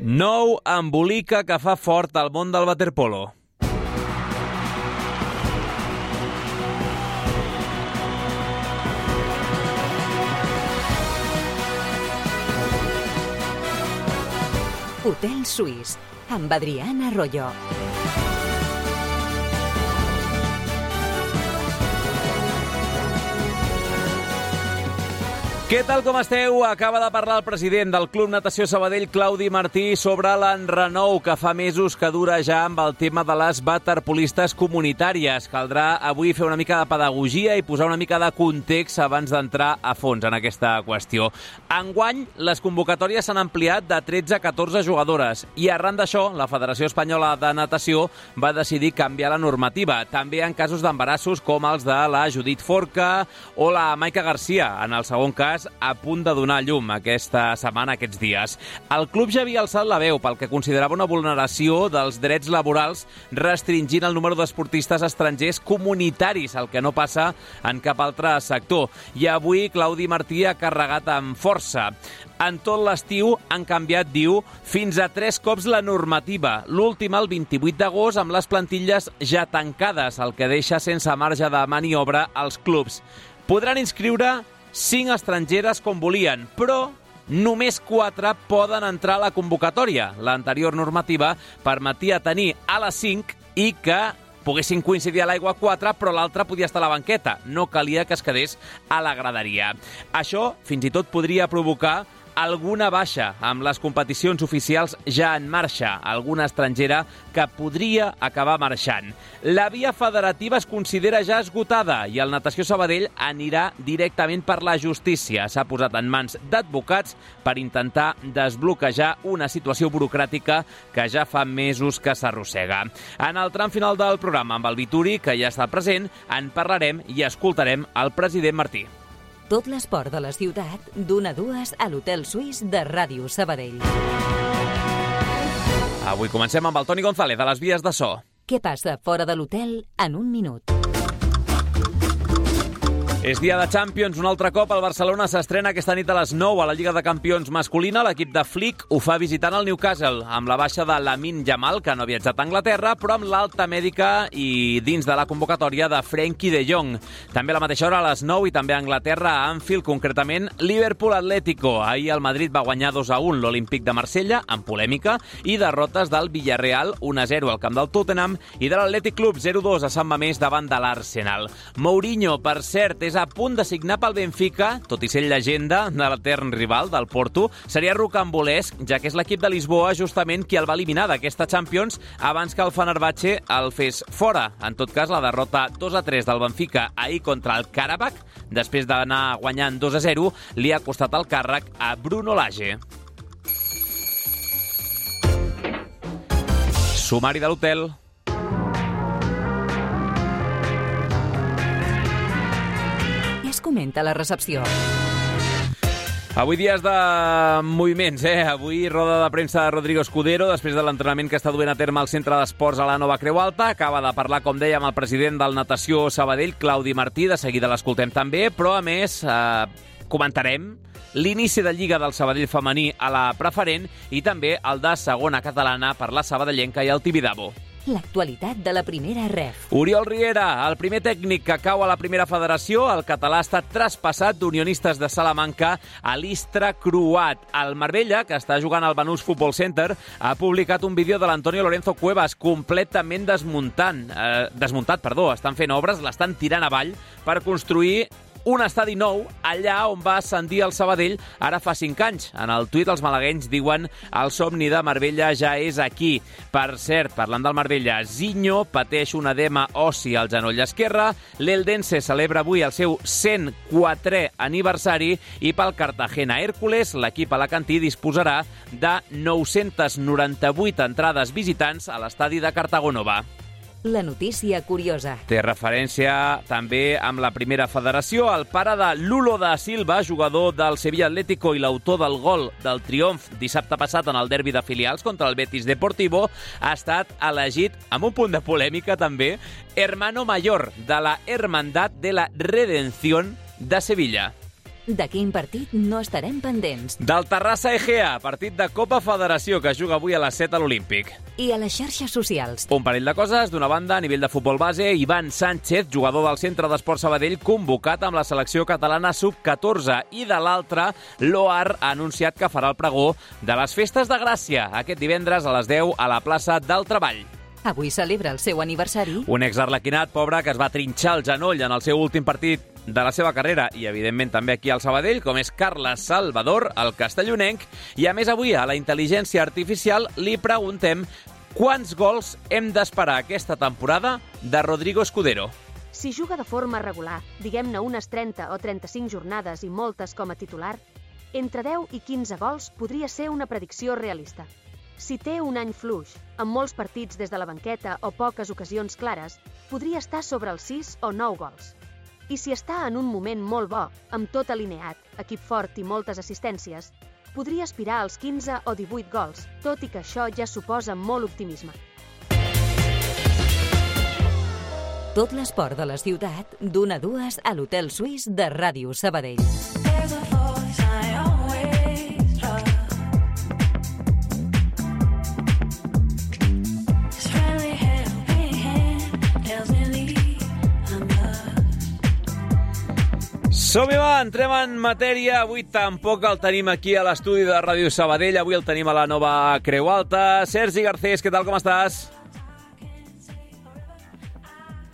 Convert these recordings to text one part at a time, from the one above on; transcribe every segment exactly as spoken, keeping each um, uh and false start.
Nou embolica que fa fort al món del waterpolo. Hotel Suís, amb Adrián Arroyo. Què tal, com esteu? Acaba de parlar el president del Club Natació Sabadell, Claudi Martí, sobre l'enrenou que fa mesos que dura ja amb el tema de les waterpolistes comunitàries. Caldrà avui fer una mica de pedagogia i posar una mica de context abans d'entrar a fons en aquesta qüestió. Enguany, les convocatòries s'han ampliat de tretze a catorze jugadores i arran d'això, la Federació Espanyola de Natació va decidir canviar la normativa, també en casos d'embarassos com els de la Judit Forca o la Maica Garcia, en el segon cas, a punt de donar llum aquesta setmana, aquests dies. El club ja havia alçat la veu pel que considerava una vulneració dels drets laborals restringint el número d'esportistes estrangers comunitaris, el que no passa en cap altre sector. I avui Claudi Martí ha carregat amb força. En tot l'estiu han canviat, diu, fins a tres cops la normativa. L'última el vint-i-vuit d'agost amb les plantilles ja tancades, el que deixa sense marge de maniobra als clubs. Podran inscriure cinc estrangeres com volien, però només quatre poden entrar a la convocatòria. L'anterior normativa permetia tenir a les cinc i que poguessin coincidir a l'aigua quatre, però l'altre podia estar a la banqueta. No calia que es quedés a la graderia. Això fins i tot podria provocar alguna baixa amb les competicions oficials ja en marxa, alguna estrangera que podria acabar marxant. La via federativa es considera ja esgotada i el Natació Sabadell anirà directament per la justícia. S'ha posat en mans d'advocats per intentar desbloquejar una situació burocràtica que ja fa mesos que s'arrossega. En el tram final del programa, amb el Vituri, que ja està present, en parlarem i escoltarem el president Martí. Tot l'esport de la ciutat, d'una a dues a l'Hotel Suís de Ràdio Sabadell. Avui comencem amb el Toni González, de les vies de so. Què passa fora de l'hotel en un minut? És dia de Champions, un altre cop el Barcelona s'estrena aquesta nit a les nou a la Lliga de Campions masculina. L'equip de Flick ho fa visitant el Newcastle, amb la baixa de Lamine Yamal, que no ha viatjat a Anglaterra, però amb l'alta mèdica i dins de la convocatòria de Frenkie de Jong. També a la mateixa hora a les nou i també a Anglaterra, a Anfield, concretament Liverpool Atlético. Ahir el Madrid va guanyar dos a un l'Olímpic de Marsella, amb polèmica, i derrotes del Villarreal un a zero al camp del Tottenham i de l'Atlètic Club zero a dos a Sant Mamés davant de l'Arsenal. Mourinho, per cert, és a punt de signar pel Benfica, tot i ser llegenda de l'etern rival del Porto. Seria rocambolesc, ja que és l'equip de Lisboa justament qui el va eliminar d'aquesta Champions abans que el Fenerbahçe el fes fora. En tot cas, la derrota dos a tres del Benfica ahir contra el Karabakh, després d'anar guanyant dos a zero, li ha costat el càrrec a Bruno Lage. Sumari de l'hotel. Comenta la recepció. Avui dies de moviments, eh? Avui roda de premsa de Rodrigo Escudero, després de l'entrenament que està duent a terme al Centre d'Esports a la Nova Creu Alta. Acaba de parlar, com dèiem, el president del Natació Sabadell, Claudi Martí. De seguida l'escoltem també, però a més eh, comentarem l'inici de Lliga del Sabadell femení a la preferent i també el de segona catalana per la sabadellenca i el Tibidabo. L'actualitat de la primera ref. Oriol Riera, el primer tècnic que cau a la primera federació, el català ha estat traspassat d'Unionistes de Salamanca a l'Istra Croat. El Marbella, que està jugant al Banús Futbol Center, ha publicat un vídeo de l'Antonio Lorenzo Cuevas completament desmuntant, eh, desmuntat, perdó, estan fent obres, l'estan tirant avall per construir un estadi nou allà on va ascendir el Sabadell ara fa cinc anys. En el tuit els malaguenys diuen el somni de Marbella ja és aquí. Per cert, parlant del Marbella, Zinho pateix un edema ossi al genoll esquerre, l'Eldense celebra avui el seu cent quatrè aniversari i pel Cartagena Hércules l'equip alacantí disposarà de nou-centes noranta-vuit entrades visitants a l'estadi de Cartagonova. La notícia curiosa. Té referència també amb la primera federació. El pare de Lulo da Silva, jugador del Sevilla Atlético i l'autor del gol del triomf dissabte passat en el derbi de filials contra el Betis Deportivo, ha estat elegit, amb un punt de polèmica també, hermano mayor de la Hermandad de la Redención de Sevilla. De quin partit no estarem pendents? Del Terrassa Egea, partit de Copa Federació que juga avui a les set a l'Olímpic. I a les xarxes socials. Un parell de coses. D'una banda, a nivell de futbol base, Ivan Sánchez, jugador del Centre d'Esport Sabadell, convocat amb la selecció catalana sub catorze. I de l'altra, l'Oar ha anunciat que farà el pregó de les Festes de Gràcia aquest divendres a les deu a la plaça del Treball. Avui celebra el seu aniversari. Un exarlequinat pobre que es va trinxar el genoll en el seu últim partit de la seva carrera i, evidentment, també aquí al Sabadell, com és Carles Salvador, el castellonenc. I, a més, avui a la intel·ligència artificial li preguntem quants gols hem d'esperar aquesta temporada de Rodrigo Escudero. Si juga de forma regular, diguem-ne unes trenta o trenta-cinc jornades i moltes com a titular, entre deu i quinze gols podria ser una predicció realista. Si té un any fluix, amb molts partits des de la banqueta o poques ocasions clares, podria estar sobre els sis o nou gols. I si està en un moment molt bo, amb tot alineat, equip fort i moltes assistències, podria aspirar als quinze o divuit gols, tot i que això ja suposa molt optimisme. Tot l'esport de la ciutat, d'una a dues a l'Hotel Suís de Ràdio Sabadell. Som-hi, va, entrem en matèria. Avui tampoc el tenim aquí a l'estudi de Ràdio Sabadell. Avui el tenim a la nova Creu Alta. Sergi Garcés, què tal, com estàs?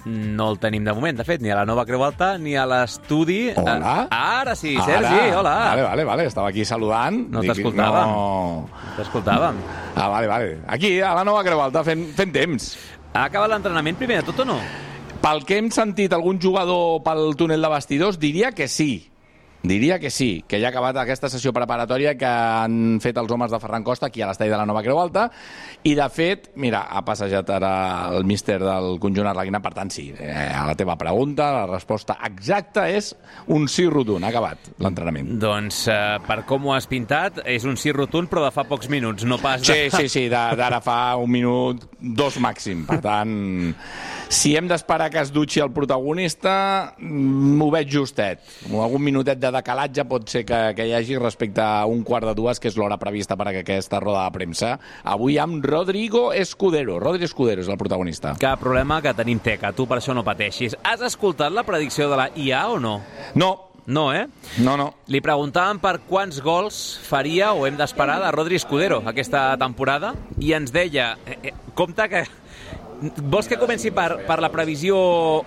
No el tenim de moment, de fet, ni a la nova Creu Alta ni a l'estudi. Hola. Ara sí, Sergi, Ara. hola. Vale, vale, vale, estava aquí saludant. No Dic, t'escoltàvem. No... No t'escoltàvem. Ah, vale, vale. Aquí, a la nova Creu Alta, fent, fent temps. Ha acabat l'entrenament primer de tot o no? Pel que hem sentit algun jugador pel túnel de vestidors, diria que sí. Diria que sí, que ja ha acabat aquesta sessió preparatòria que han fet els homes de Ferran Costa aquí a l'estadi de la nova Creu Alta. I, de fet, mira, ha passejat ara el míster del conjunt arlequinà. Per tant, sí, eh, a la teva pregunta, la resposta exacta és un sí rotund. Ha acabat l'entrenament. Doncs, eh, per com ho has pintat, és un sí rotund, però de fa pocs minuts, no pas de... Sí, sí, sí, d'ara fa un minut, dos màxim. Per tant, si hem d'esperar que es dutxi el protagonista, m'ho veig justet. Algun minutet de decalatge pot ser que, que hi hagi respecte a un quart de dues, que és l'hora prevista per a aquesta roda de premsa. Avui amb Rodrigo Escudero. Rodrigo Escudero és el protagonista. Cap problema, que tenim teca. Tu per això no pateixis. Has escoltat la predicció de la I A o no? No. No, eh? No, no. Li preguntàvem per quants gols faria o hem d'esperar de Rodrigo Escudero aquesta temporada i ens deia, eh, eh, compte que... Vols que comenci per, per la previsió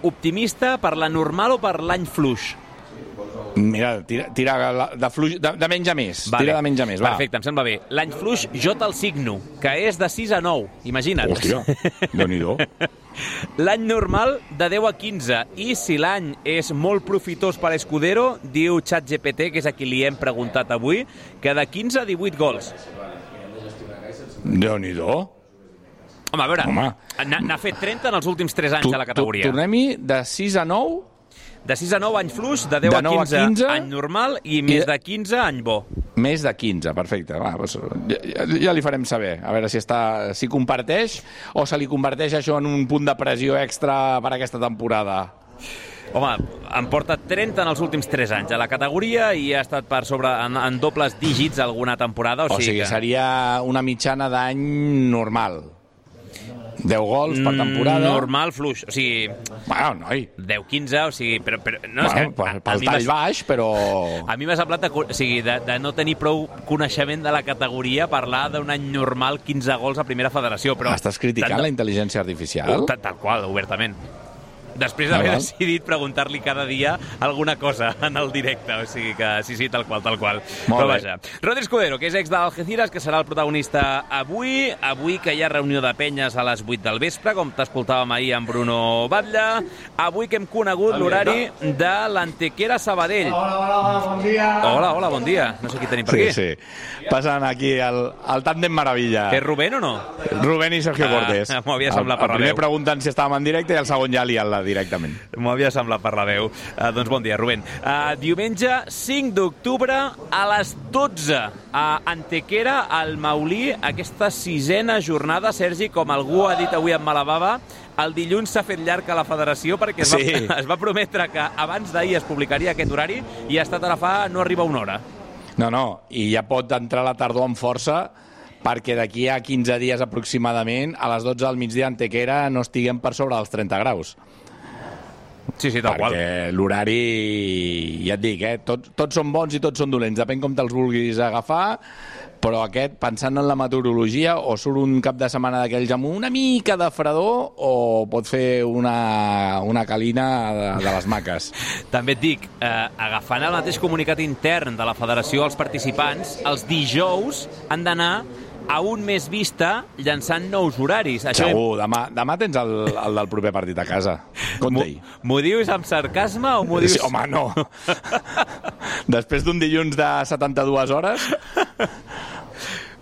optimista, per la normal o per l'any fluix? Mira, tira, tira de, fluix, de, de menys a més. Vale. Tira de menys a més, va. Perfecte, em sembla bé. L'any fluix jo te'l signo, que és de sis a nou. Imagina't. Hòstia, Déu-n'hi-do. L'any normal de deu a quinze. I si l'any és molt profitós per Escudero, diu ChatGPT, que és a qui li hem preguntat avui, que de quinze a divuit gols. Déu-n'hi-do. Home, a veure, n'ha fet trenta en els últims tres anys tu, a la categoria. Tornem-hi de sis a nou? De sis a nou any fluix, de deu de a quinze, a quinze any normal i més de quinze any bo. Més de quinze, perfecte. Va, doncs, ja, ja li farem saber, a veure si està, si comparteix o se li converteix això en un punt de pressió extra per aquesta temporada. Home, em porta trenta en els últims tres anys a la categoria i ha estat per sobre en, en dobles dígits alguna temporada. O, o sigui, sigui que... seria una mitjana d'any normal. deu gols per temporada. Normal, fluix. O sigui... Bueno, noi. deu quinze, o sigui... Però, però, no, bueno, és que, pel, pel tall baix, però... A mi m'ha semblat de, o sigui, de, de no tenir prou coneixement de la categoria parlar d'un any normal quinze gols a primera federació. Però estàs criticant tant, la intel·ligència artificial? Tal, tal qual, obertament. Després d'haver ah, decidit preguntar-li cada dia alguna cosa en el directe. O sigui que sí, sí, tal qual, tal qual. Molt Però bé. vaja. Rodrigo Escudero, que és ex d'Algeciras, que serà el protagonista avui. Avui que hi ha reunió de penyes a les vuit del vespre, com t'escoltàvem ahir amb Bruno Batlle. Avui que hem conegut l'horari de l'Antequera Sabadell. Hola, hola, bon dia. Hola, hola, bon dia. No sé qui tenim per sí, aquí. Sí, sí. Passen aquí el, el tàndem meravella. Que és Rubén o no? Rubén i Sergio Ah, Cortés. m'ho havia semblat per el, el la primer veu. preguntant si estàvem en directe i el segon ja liant-la, directament. M'ho havia semblat per la veu. Uh, doncs bon dia, Rubén. Uh, diumenge cinc d'octubre a les dotze a Antequera, al Maulí, aquesta sisena jornada, Sergi, com algú ha dit avui en Malabava, el dilluns s'ha fet llarg a la federació perquè es va, sí. es va prometre que abans d'ahir es publicaria aquest horari i ha estat ara fa no arriba una hora. No, no, i ja pot entrar la tardor amb força perquè d'aquí a quinze dies aproximadament, a les dotze del migdia a Antequera no estiguem per sobre dels trenta graus. Sí, sí, tal qual. Perquè l'horari, ja et dic, eh, tots, tots són bons i tots són dolents, depèn com te'ls vulguis agafar, però aquest, pensant en la meteorologia, o surt un cap de setmana d'aquells amb una mica de fredor o pot fer una, una calina de, de les maques. També et dic, eh, agafant el mateix comunicat intern de la federació als participants, els dijous han d'anar a un més vista llançant nous horaris. Això... Segur, demà, demà tens el, el del proper partit a casa. Compte-hi. M'ho dius amb sarcasme o m'ho dius... Sí, home, no. Després d'un dilluns de setanta-dues hores...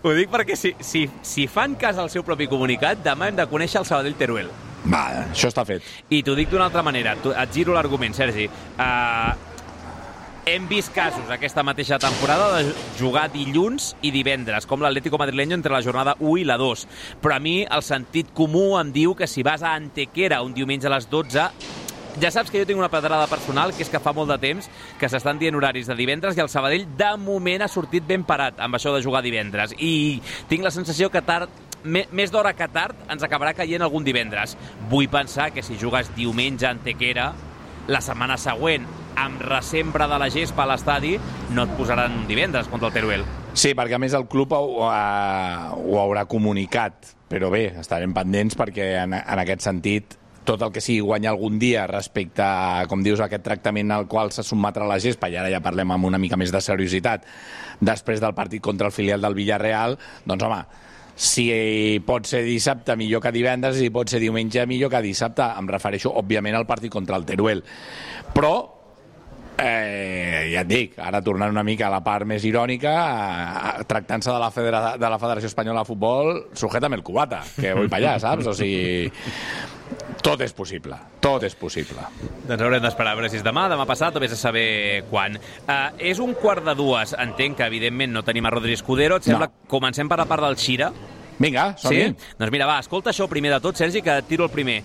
Ho dic perquè si, si, si fan cas al seu propi comunicat, demà hem de conèixer el Sabadell Teruel. Va, això està fet. I t'ho dic d'una altra manera. Et giro l'argument, Sergi. Uh, hem vist casos aquesta mateixa temporada de jugar dilluns i divendres, com l'Atlético Madrileño entre la jornada u i la dos. Però a mi el sentit comú em diu que si vas a Antequera un diumenge a les dotze... Ja saps que jo tinc una pedrada personal, que és que fa molt de temps que s'estan dient horaris de divendres i el Sabadell de moment ha sortit ben parat amb això de jugar divendres. I tinc la sensació que tard, més d'hora que tard, ens acabarà caient algun divendres. Vull pensar que si jugues diumenge a Antequera, la setmana següent, amb resembra de la gespa a l'estadi, no et posaran un divendres contra el Teruel. Sí, perquè a més el club ho, ho, ho haurà comunicat, però bé, estarem pendents perquè en, en aquest sentit tot el que sigui guanyar algun dia respecte a, com dius, aquest tractament al qual se sotmetrà la gespa, i ara ja parlem amb una mica més de seriositat, després del partit contra el filial del Villarreal, doncs home, si pot ser dissabte millor que divendres i pot ser diumenge millor que dissabte, em refereixo òbviament al partit contra el Teruel. Però Eh, ja et dic, ara tornant una mica a la part més irònica, tractant-se de la, Federa de la Federació Espanyola de Futbol, sujétame el cubata, que vull per allà, saps? O sigui, tot és possible, tot és possible. Doncs haurem d'esperar a veure si és demà, demà passat, o vés a saber quan. Uh, és un quart de dues, entenc que evidentment no tenim a Rodri Escudero, et sembla que no. Comencem per la part del Xira? Vinga, som-hi. Sí? Doncs mira, va, escolta això primer de tot, Sergi, que et tiro el primer.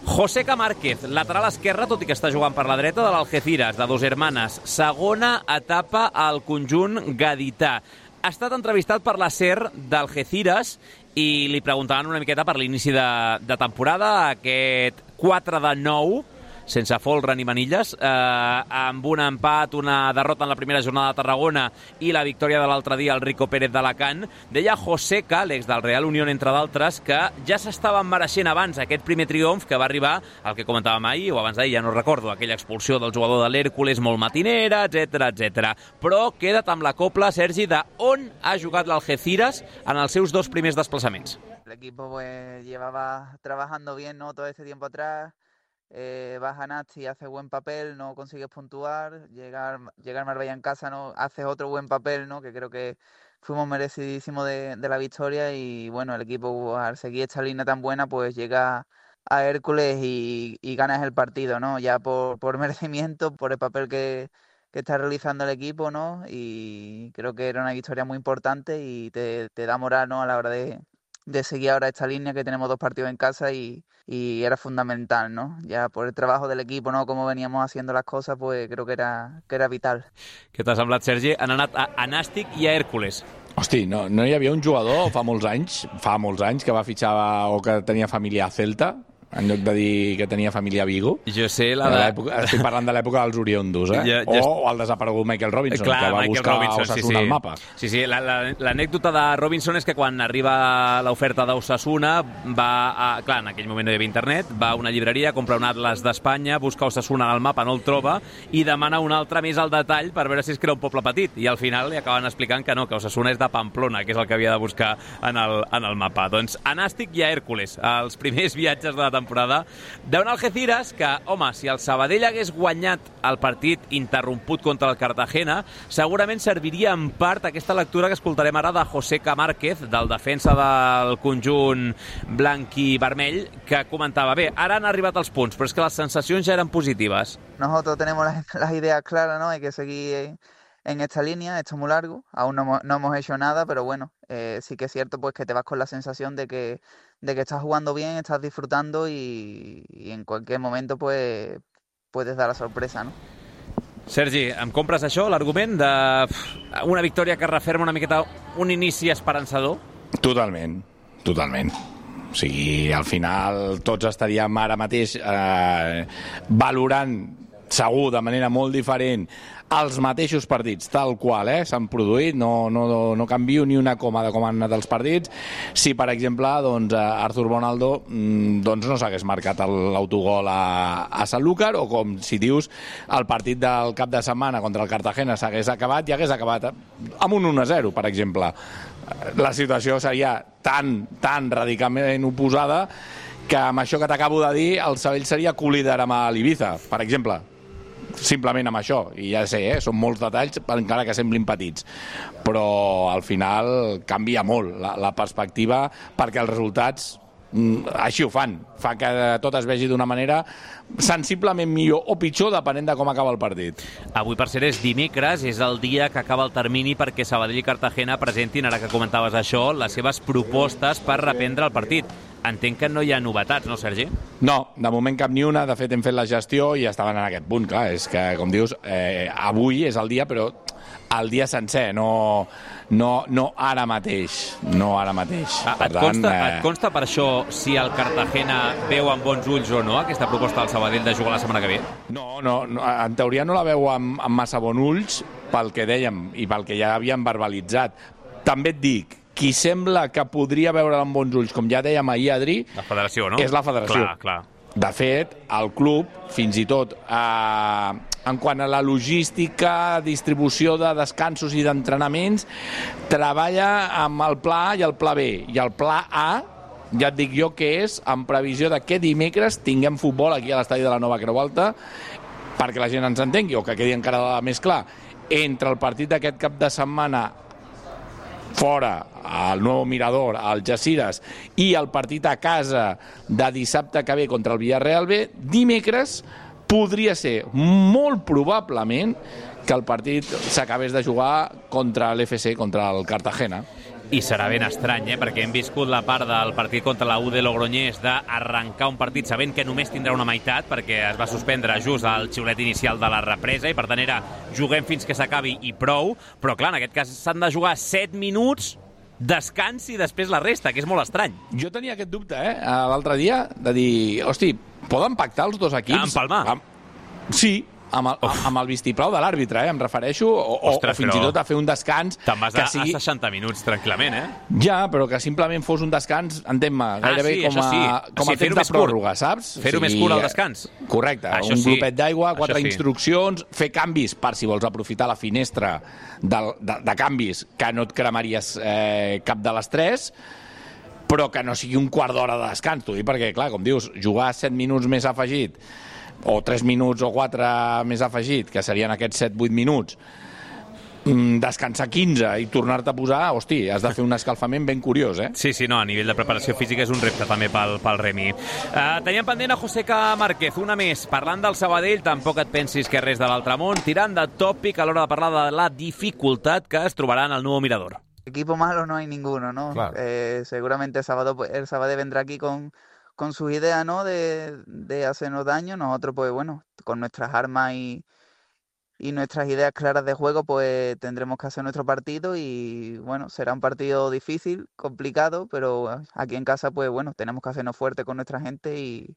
Joseca Márquez, lateral esquerre, tot i que està jugant per la dreta, de l'Algeciras, de Dos Hermanes. Segona etapa al conjunt gadità. Ha estat entrevistat per la SER d'Algeciras i li preguntaven una miqueta per l'inici de, de temporada, aquest quatre de nou, sense folre ni manilles, eh, amb un empat, una derrota en la primera jornada de Tarragona i la victòria de l'altre dia al Rico Pérez d'Alacant. Deia Joseca, l'ex del Real Unión, entre d'altres, que ja s'estaven mereixent abans aquest primer triomf que va arribar, el que comentàvem ahir, o abans d'ahir, ja no recordo, aquella expulsió del jugador de l'Hèrcules molt matinera, etcètera, etcètera. Però queda't amb la copla, Sergi, de on ha jugat l'Algeciras en els seus dos primers desplaçaments. El equipo pues llevaba trabajando bien, ¿no?, todo este tiempo atrás. Eh, vas a Nasti, haces buen papel, no consigues puntuar, llegar, llegar Marbella en casa, no haces otro buen papel, ¿no?, que creo que fuimos merecidísimos de, de la victoria. Y bueno, el equipo al seguir esta línea tan buena pues llega a Hércules y, y ganas el partido, ¿no?, ya por, por merecimiento, por el papel que, que está realizando el equipo, ¿no? Y creo que era una victoria muy importante y te, te da moral, ¿no?, a la hora de, de seguir ahora esta línea, que tenemos dos partidos en casa y y era fundamental, ¿no? Ya por el trabajo del equipo, ¿no?, como veníamos haciendo las cosas, pues creo que era, que era vital. Què t'ha semblat, Sergi? Han anat a, a Nàstic i a Hèrcules. Hosti, no, no hi havia un jugador fa molts anys, fa molts anys, que va fitxar o que tenia família a Celta, en lloc de dir que tenia família a Vigo. Jo sé la de... Estic parlant de l'època dels Oriondos, eh? Ja, ja... O, o el desaparegut Michael Robinson, Clar, que va Michael buscar Robinson, Osasuna sí, sí. al mapa. Sí, sí, l'anècdota la, la, de Robinson és que quan arriba l'oferta d'Osasuna va, a, clar, en aquell moment no hi havia internet, va a una llibreria, compra un atlas d'Espanya, busca Osasuna al mapa, no el troba, i demana un altre més al detall per veure si és que era un poble petit. I al final li acaben explicant que no, que Osasuna és de Pamplona, que és el que havia de buscar en el, en el mapa. Doncs a Nàstic i a Hèrcules, els primers viatges de la temporada temporada d'un Algeciras que, home, si el Sabadell hagués guanyat el partit interromput contra el Cartagena, segurament serviria en part aquesta lectura que escoltarem ara de José Camárquez, del defensa del conjunt blanc i vermell, que comentava, bé, ara han arribat els punts, però és que les sensacions ja eren positives. Nosotros tenemos las, las ideas claras, ¿no? Hay que seguir en esta línea, esto es muy largo, aún no, no hemos hecho nada, pero bueno, eh, sí que es cierto pues que te vas con la sensación de que, de que estás jugando bien, estás disfrutando y, y en cualquier momento pues puedes dar la sorpresa, ¿no? Sergi, em compres això, l'argument de una victòria que referma una miqueta un inici esperançador? Totalment, totalment. O sigui, al final tots estaríem ara mateix eh, valorant segur de manera molt diferent els mateixos partits, tal qual eh, s'han produït, no, no, no canvio ni una coma de com han anat els partits. Si, per exemple, doncs, Arthur Bonaldo doncs, no s'hagués marcat l'autogol a, a Sanlúcar, o com si dius, el partit del cap de setmana contra el Cartagena s'hagués acabat i hagués acabat amb un un a zero, per exemple. La situació seria tan, tan radicalment oposada que amb això que t'acabo de dir el Sabadell seria co-líder amb l'Ibiza, per exemple. Simplement amb això, i ja sé, eh, són molts detalls encara que semblin petits, però al final canvia molt la, la perspectiva, perquè els resultats mm, així ho fan, fa que tot es vegi d'una manera sensiblement millor o pitjor depenent de com acaba el partit. Avui, per ser, és dimecres, és el dia que acaba el termini perquè Sabadell i Cartagena presentin, ara que comentaves això, les seves propostes per reprendre el partit. Entenc que no hi ha novetats, no, Sergi? No, de moment cap ni una. De fet, hem fet la gestió i estaven en aquest punt. Clar, és que, com dius, eh, avui és el dia, però el dia sencer, no, no, no ara mateix. No ara mateix. Ah, per et, tant, consta, eh... et consta per això si el Cartagena veu amb bons ulls o no aquesta proposta del Sabadell de jugar la setmana que ve? No, no, no, en teoria no la veu amb, amb massa bons ulls pel que dèiem i pel que ja havíem verbalitzat. També et dic, qui sembla que podria veure amb bons ulls, com ja dèiem ahir, Adri, la federació, no? És la federació. Clar, clar. De fet, el club, fins i tot eh, en quant a la logística, distribució de descansos i d'entrenaments, treballa amb el pla A i el pla B. I el pla A, ja et dic jo que és en previsió de que dimecres tinguem futbol aquí a l'estadi de la Nova Creu Alta, perquè la gent ens entengui, o que quedi encara més clar. Entre el partit d'aquest cap de setmana fora, al Nou Mirador, al Algeciras, i el partit a casa de dissabte que ve contra el Villarreal B, dimecres podria ser molt probablement que el partit s'acabés de jugar contra l'F C, contra el Cartagena. I serà ben estrany, eh? Perquè hem viscut la part del partit contra la U de Logroñés d'arrencar un partit sabent que només tindrà una meitat, perquè es va suspendre just al xiulet inicial de la represa, i per tant era juguem fins que s'acabi i prou, però clar, en aquest cas s'han de jugar set minuts, descans i després la resta, que és molt estrany. Jo tenia aquest dubte, eh, l'altre dia, de dir, hosti, poden pactar els dos equips? Empalmar. Amb... Sí, amb el, amb el vistiplau de l'àrbitre, eh, em refereixo, o, Ostres, o fins i tot a fer un descans... Te'n vas que a, sigui... a seixanta minuts, tranquil·lament, eh? Ja, però que simplement fos un descans, entén-me, gairebé ah, sí, com a, sí. com sí, a temps de pròrroga, saps? Fer-ho o sigui, més curt al descans. Correcte, això un sí. glopet d'aigua, quatre sí. instruccions, fer canvis per si vols aprofitar la finestra de, de, de canvis que no et cremaries eh, cap de les tres, però que no sigui un quart d'hora de descans, t'ho dic, perquè, clar, com dius, jugar set minuts més afegit, o tres minuts o quatre més afegit, que serien aquests set vuit minuts, descansar quinze i tornar-te a posar, hosti, has de fer un escalfament ben curiós, eh? Sí, sí, no, a nivell de preparació física és un repte també pel, pel Remi. Uh, teníem pendent a José Márquez, una més, parlant del Sabadell, tampoc et pensis que res de l'altre món, tirant de tòpic a l'hora de parlar de la dificultat que es trobarà en el Nou Mirador. Equipo malo no hay ninguno, ¿no? Claro. Eh, seguramente el sábado, el Sabadell vendrá aquí con con sus ideas, ¿no?, de, de hacernos daño. Nosotros, pues bueno, con nuestras armas y, y nuestras ideas claras de juego, pues tendremos que hacer nuestro partido y, bueno, será un partido difícil, complicado, pero aquí en casa, pues bueno, tenemos que hacernos fuerte con nuestra gente y,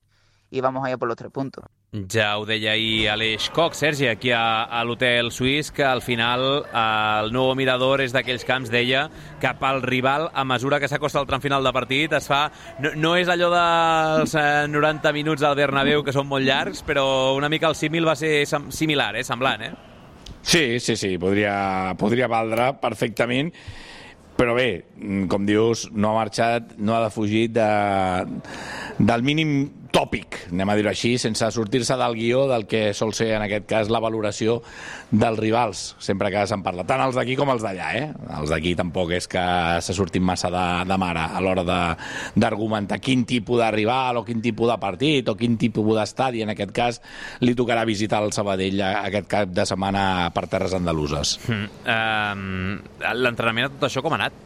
i vamos allá por los tres puntos. Ja ho deia ahir Aleix Koch, Sergi, aquí a, a l'Hotel Suís, que al final el Nou Mirador és d'aquells camps, deia, cap al rival a mesura que s'acosta el tram final de partit es fa... No, no és allò dels eh, noranta minuts al Bernabéu, que són molt llargs, però una mica el símil va ser similar, eh, semblant, eh? Sí, sí, sí, podria, podria valdre perfectament, però bé, com dius, no ha marxat, no ha defugit de, del mínim tòpic, anem a dir-ho així, sense sortir-se del guió del que sol ser, en aquest cas, la valoració dels rivals, sempre que se'n parla. Tant els d'aquí com els d'allà, eh? Els d'aquí tampoc és que se surtin massa de, de mare a l'hora d'argumentar quin tipus de rival o quin tipus de partit o quin tipus d'estadi, en aquest cas, li tocarà visitar el Sabadell aquest cap de setmana per terres andaluses. Mm, uh, L'entrenament a tot això com ha anat?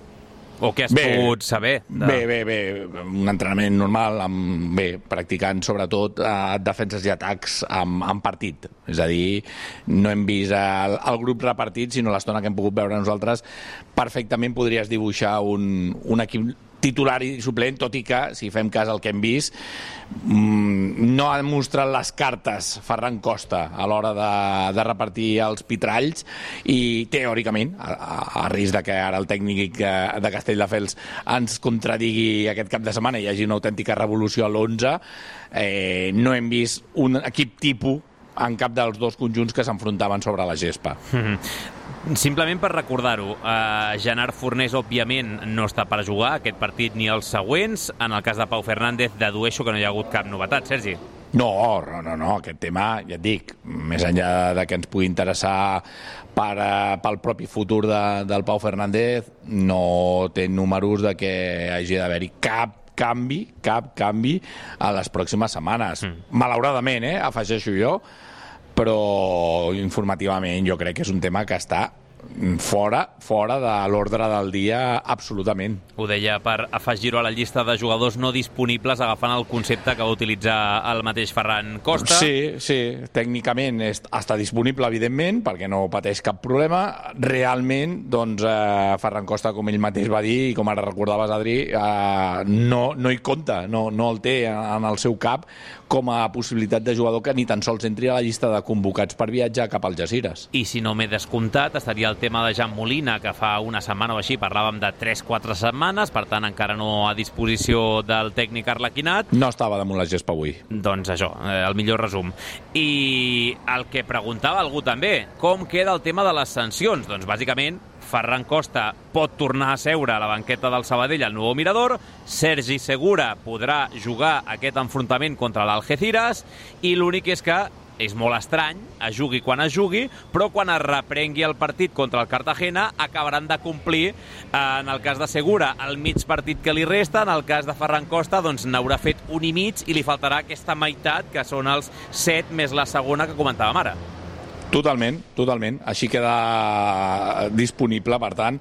O què has bé, pogut saber? De... Bé, bé, bé. Un entrenament normal, amb, bé, practicant sobretot eh, defenses i atacs amb, amb partit. És a dir, no hem vist el, el grup repartit, sinó l'estona que hem pogut veure nosaltres. Perfectament podries dibuixar un, un equip titular i suplent, tot i que, si fem cas al que hem vist, no ha mostrat les cartes Ferran Costa a l'hora de, de repartir els pitralls i, teòricament, a, a risc de que ara el tècnic de Castelldefels ens contradigui aquest cap de setmana i hi hagi una autèntica revolució a l'onze, eh, no hem vist un equip tipus en cap dels dos conjunts que s'enfrontaven sobre la gespa. Mm-hmm. Simplement per recordar-ho, eh, Gerard Fornés, òbviament, no està per jugar aquest partit ni els següents. En el cas de Pau Fernández, dedueixo que no hi ha hagut cap novetat, Sergi. No, no, no, no, aquest tema, ja et dic, més enllà de que ens pugui interessar per, uh, pel propi futur de, del Pau Fernández, no té números de que hagi d'haver-hi cap canvi, cap canvi a les pròximes setmanes. Mm. Malauradament, eh, afegeixo jo, però informativament jo crec que és un tema que està fora, fora de l'ordre del dia absolutament. Ho deia per afegir-ho a la llista de jugadors no disponibles, agafant el concepte que va utilitzar el mateix Ferran Costa. Sí, sí, tècnicament és, està disponible, evidentment, perquè no pateix cap problema. Realment, doncs, eh, Ferran Costa, com ell mateix va dir, i com ara recordaves, Adri, eh, no, no hi compta, no, no el té en el seu cap com a possibilitat de jugador que ni tan sols entri a la llista de convocats per viatjar cap al Algesires. I si no m'he descomptat, estaria el tema de Jan Molina, que fa una setmana o així parlàvem de tres quatre setmanes, per tant encara no a disposició del tècnic arlequinat. No estava damunt la gespa avui. Doncs això, el millor resum. I el que preguntava algú també, com queda el tema de les sancions? Doncs bàsicament Ferran Costa pot tornar a seure a la banqueta del Sabadell al nou Mirador, Sergi Segura podrà jugar aquest enfrontament contra l'Algeciras i l'únic és que és molt estrany, es jugui quan es jugui, però quan es reprengui el partit contra el Cartagena acabaran de complir, en el cas de Segura, el mig partit que li resta, en el cas de Ferran Costa, doncs n'haurà fet un i mig i li faltarà aquesta meitat, que són els set més la segona que comentàvem ara. Totalment, totalment. Així queda disponible, per tant,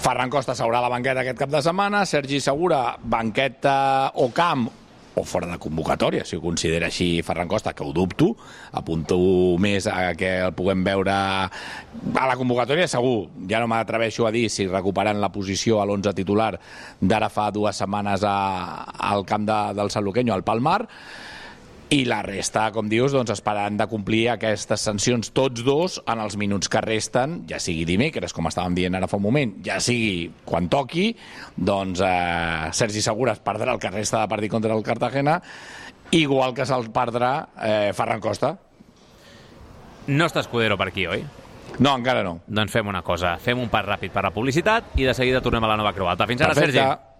Ferran Costa s'haurà a la banqueta aquest cap de setmana, Sergi Segura, banqueta o camp, o fora de convocatòria, si ho considera així Ferran Costa, que ho dubto, apunto més a que el puguem veure a la convocatòria, segur. Ja no m'atreveixo a dir si recuperant la posició a l'onze titular d'ara fa dues setmanes a, al camp de, del Sanluqueño, al Palmar, i la resta, com dius, doncs esperant de complir aquestes sancions tots dos en els minuts que resten, ja sigui dimecres, com estàvem dient ara fa un moment, ja sigui quan toqui, doncs eh, Sergi Segura es perdrà el que resta de partit contra el Cartagena, igual que se'l perdrà eh, Ferran Costa. No està Escudero per aquí, oi? No, encara no. Doncs fem una cosa, fem un pas ràpid per la publicitat i de seguida tornem a la Nova Creu Alta. Fins ara, Perfecte. Sergi.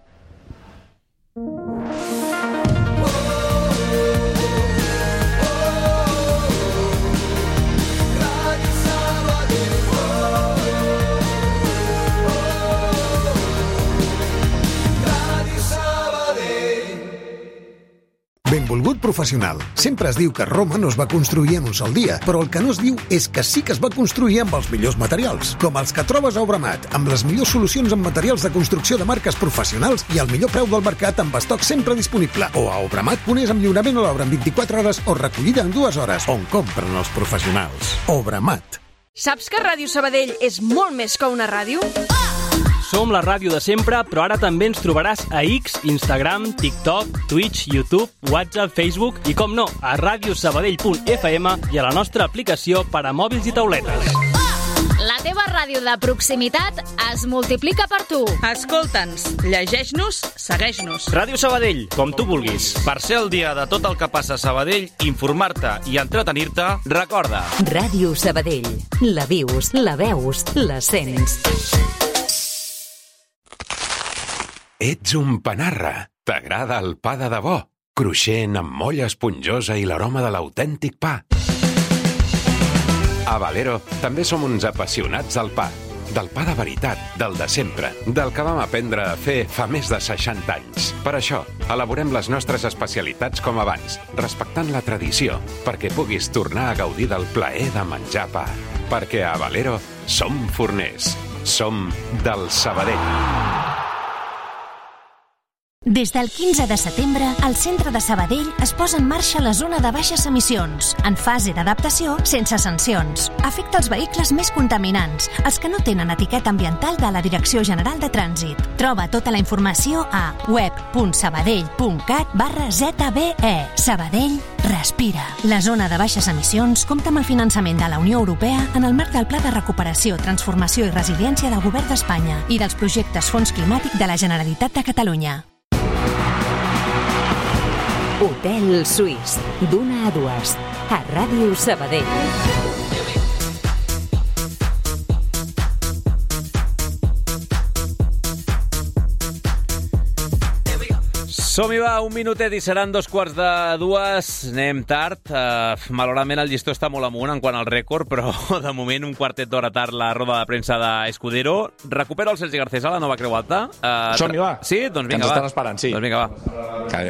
Benvolgut professional. Sempre es diu que Roma no es va construir en un sol dia, però el que no es diu és que sí que es va construir amb els millors materials, com els que trobes a Obramat, amb les millors solucions en materials de construcció de marques professionals i al millor preu del mercat amb estoc sempre disponible. O a obramat punt es amb lliurament a l'obra en vint-i-quatre hores o recollida en dues hores, on compren els professionals. Obramat. Saps que Ràdio Sabadell és molt més que una ràdio? Som la ràdio de sempre, però ara també ens trobaràs a X, Instagram, TikTok, Twitch, YouTube, WhatsApp, Facebook i, com no, a radiosabadell punt f m i a la nostra aplicació per a mòbils i tauletes. La teva ràdio de proximitat es multiplica per tu. Escolta'ns, llegeix-nos, segueix-nos. Ràdio Sabadell, com tu vulguis. Per ser el dia de tot el que passa a Sabadell, informar-te i entretenir-te, recorda. Ràdio Sabadell. La vius, la veus, la sents. Ets un panarra. T'agrada el pa de debò. cruixent, amb molla esponjosa i l'aroma de l'autèntic pa. A Valero també som uns apassionats del pa. Del pa de veritat, del de sempre, del que vam aprendre a fer fa més de seixanta anys. Per això, elaborem les nostres especialitats com abans, respectant la tradició, perquè puguis tornar a gaudir del plaer de menjar pa. Perquè a Valero som forners. Som del Sabadell. Des del quinze de setembre, al centre de Sabadell es posa en marxa la zona de baixes emissions, en fase d'adaptació sense sancions. Afecta els vehicles més contaminants, els que no tenen etiqueta ambiental de la Direcció General de Trànsit. Troba tota la informació a web punt sabadell punt cat barra zeta be e. Sabadell respira. La zona de baixes emissions compta amb el finançament de la Unió Europea en el marc del Pla de Recuperació, Transformació i Resiliència del Govern d'Espanya i dels projectes Fons Climàtic de la Generalitat de Catalunya. Hotel Suís, d'una a dues, a Ràdio Sabadell. Som-hi, va, un minutet i seran dos quarts de dues. Anem tard. Uh, malauradament el llistó està molt amunt en quant al rècord, però de moment un quartet d'hora tard la roda de premsa d'Escudero. Recupero el Sergi Garcés a la nova Creu Alta. Uh, Som-hi, va. Sí? Doncs vinga, que ens va. estan esperant, sí. Doncs vinga, va. Que...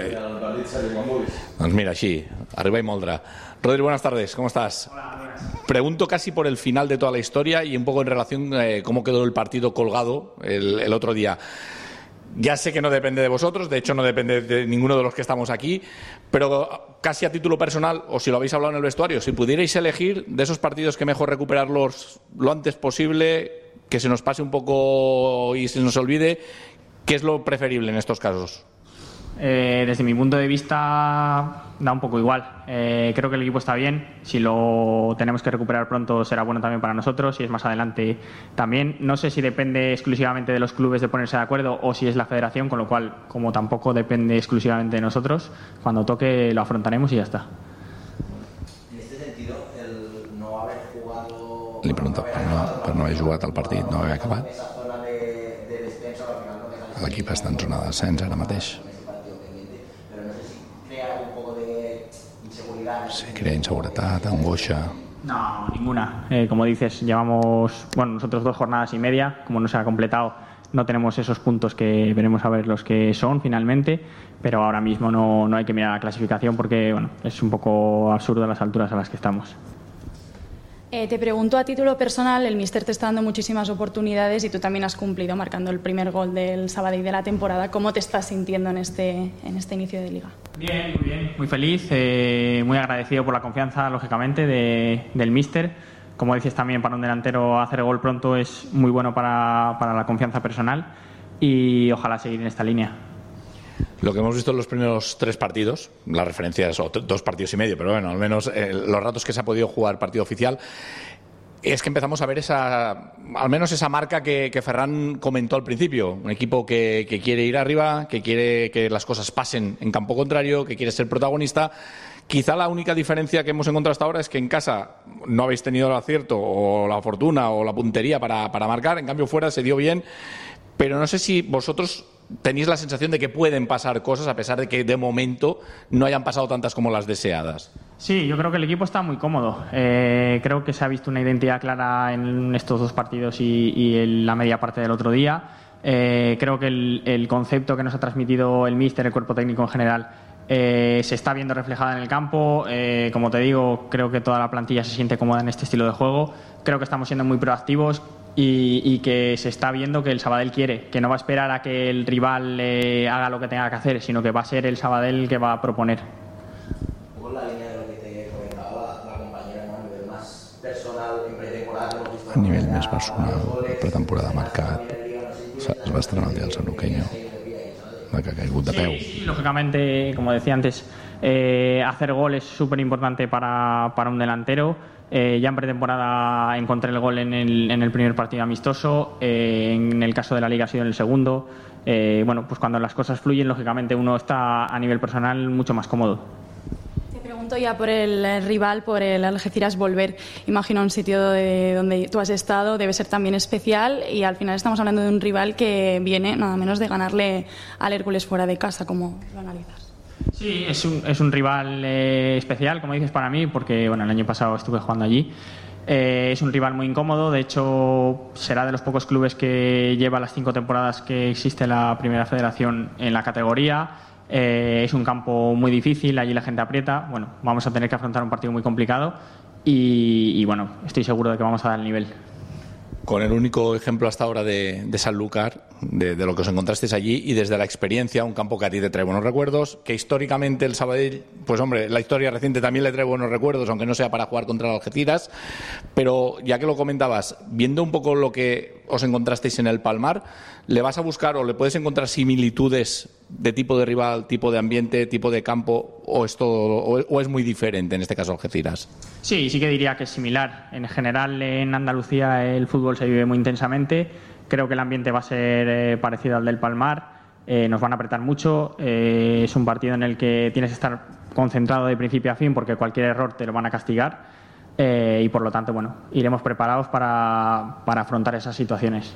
Doncs mira, així, arriba y moldrá. Rodri, buenas tardes, ¿cómo estás? Hola, pregunto casi por el final de toda la historia y un poco en relación a eh, cómo quedó el partido colgado el, el otro día. Ya sé que no depende de vosotros, de hecho no depende de ninguno de los que estamos aquí, pero casi a título personal, o si lo habéis hablado en el vestuario, si pudierais elegir de esos partidos que mejor recuperarlos lo antes posible, que se nos pase un poco y se nos olvide, ¿qué es lo preferible en estos casos? Eh, desde mi punto de vista da un poco igual. Eh, creo que el equipo está bien. Si lo tenemos que recuperar pronto será bueno también para nosotros. Si es más adelante también. No sé si depende exclusivamente de los clubes de ponerse de acuerdo o si es la federación, con lo cual, como tampoco depende exclusivamente de nosotros, cuando toque lo afrontaremos y ya está. En este sentido, el no haber jugado... Li pregunto, per no, per no haver jugat el partit, no haver acabat. L'equip està en zona de descens ara mateix. Se crea inseguridad, angoixa. No, ninguna. Eh, como dices, llevamos, bueno, nosotros dos jornadas y media. Como no se ha completado, no tenemos esos puntos que veremos a ver los que son finalmente. Pero ahora mismo no, no hay que mirar la clasificación porque, bueno, es un poco absurdo las alturas a las que estamos. Eh, te pregunto a título personal, el míster te está dando muchísimas oportunidades y tú también has cumplido marcando el primer gol del Sabadell de la temporada. ¿Cómo te estás sintiendo en este, en este inicio de liga? Bien, muy bien, muy feliz, eh, muy agradecido por la confianza, lógicamente, de, del míster. Como dices también, para un delantero hacer gol pronto es muy bueno para, para la confianza personal y ojalá seguir en esta línea. Lo que hemos visto en los primeros tres partidos, las referencias, o dos partidos y medio, pero bueno, al menos eh, los ratos que se ha podido jugar partido oficial, es que empezamos a ver esa, al menos esa marca que, que Ferran comentó al principio. Un equipo que, que quiere ir arriba, que quiere que las cosas pasen en campo contrario, que quiere ser protagonista. Quizá la única diferencia que hemos encontrado hasta ahora es que en casa no habéis tenido el acierto o la fortuna o la puntería para, para marcar, en cambio fuera se dio bien, pero no sé si vosotros tenéis la sensación de que pueden pasar cosas a pesar de que de momento no hayan pasado tantas como las deseadas. Sí, yo creo que el equipo está muy cómodo. Eh, creo que se ha visto una identidad clara en estos dos partidos y, y en la media parte del otro día. Eh, creo que el, el concepto que nos ha transmitido el míster, el cuerpo técnico en general, eh, se está viendo reflejada en el campo. Eh, como te digo, creo que toda la plantilla se siente cómoda en este estilo de juego. Creo que estamos siendo muy proactivos. Y, y que se está viendo que el Sabadell quiere, que no va a esperar a que el rival eh, haga lo que tenga que hacer, sino que va a ser el Sabadell el que va a proponer. Un poco en la línea de lo que te comentaba la, la compañera, ¿no? A nivel más personal en pretemporada. A nivell més personal, pretemporada marcat, es va estrenar el dia del Sanuqueño, que ha caigut de peu. Sí, lógicamente, como decía antes, eh, hacer gol es súper importante para, para un delantero. Eh, ya en pretemporada encontré el gol en el, en el primer partido amistoso, eh, en el caso de la Liga ha sido en el segundo. Eh, bueno, pues cuando las cosas fluyen, lógicamente uno está a nivel personal mucho más cómodo. Te pregunto ya por el rival, por el Algeciras Volver. Imagino un sitio de donde tú has estado, debe ser también especial y al final estamos hablando de un rival que viene nada menos de ganarle al Hércules fuera de casa. ¿Cómo lo analizas? Sí, es un, es un rival eh, especial, como dices, para mí, porque bueno, el año pasado estuve jugando allí. Eh, es un rival muy incómodo, de hecho será de los pocos clubes que lleva las cinco temporadas que existe la Primera Federación en la categoría. Eh, es un campo muy difícil, allí la gente aprieta. Bueno, vamos a tener que afrontar un partido muy complicado y, y bueno, estoy seguro de que vamos a dar el nivel. Con el único ejemplo hasta ahora de, de Sanlúcar, de, de lo que os encontrasteis allí, y desde la experiencia, un campo que a ti te trae buenos recuerdos, que históricamente el Sabadell, pues hombre, la historia reciente también le trae buenos recuerdos, aunque no sea para jugar contra el Algeciras, pero ya que lo comentabas, viendo un poco lo que os encontrasteis en el Palmar, ¿le vas a buscar o le puedes encontrar similitudes de tipo de rival, tipo de ambiente, tipo de campo, o es, todo, o, o es muy diferente en este caso Algeciras? Sí, sí que diría que es similar. En general en Andalucía el fútbol se vive muy intensamente. Creo que el ambiente va a ser eh, parecido al del Palmar. Eh, nos van a apretar mucho. Eh, es un partido en el que tienes que estar concentrado de principio a fin porque cualquier error te lo van a castigar. Eh, y por lo tanto, bueno, iremos preparados para, para afrontar esas situaciones.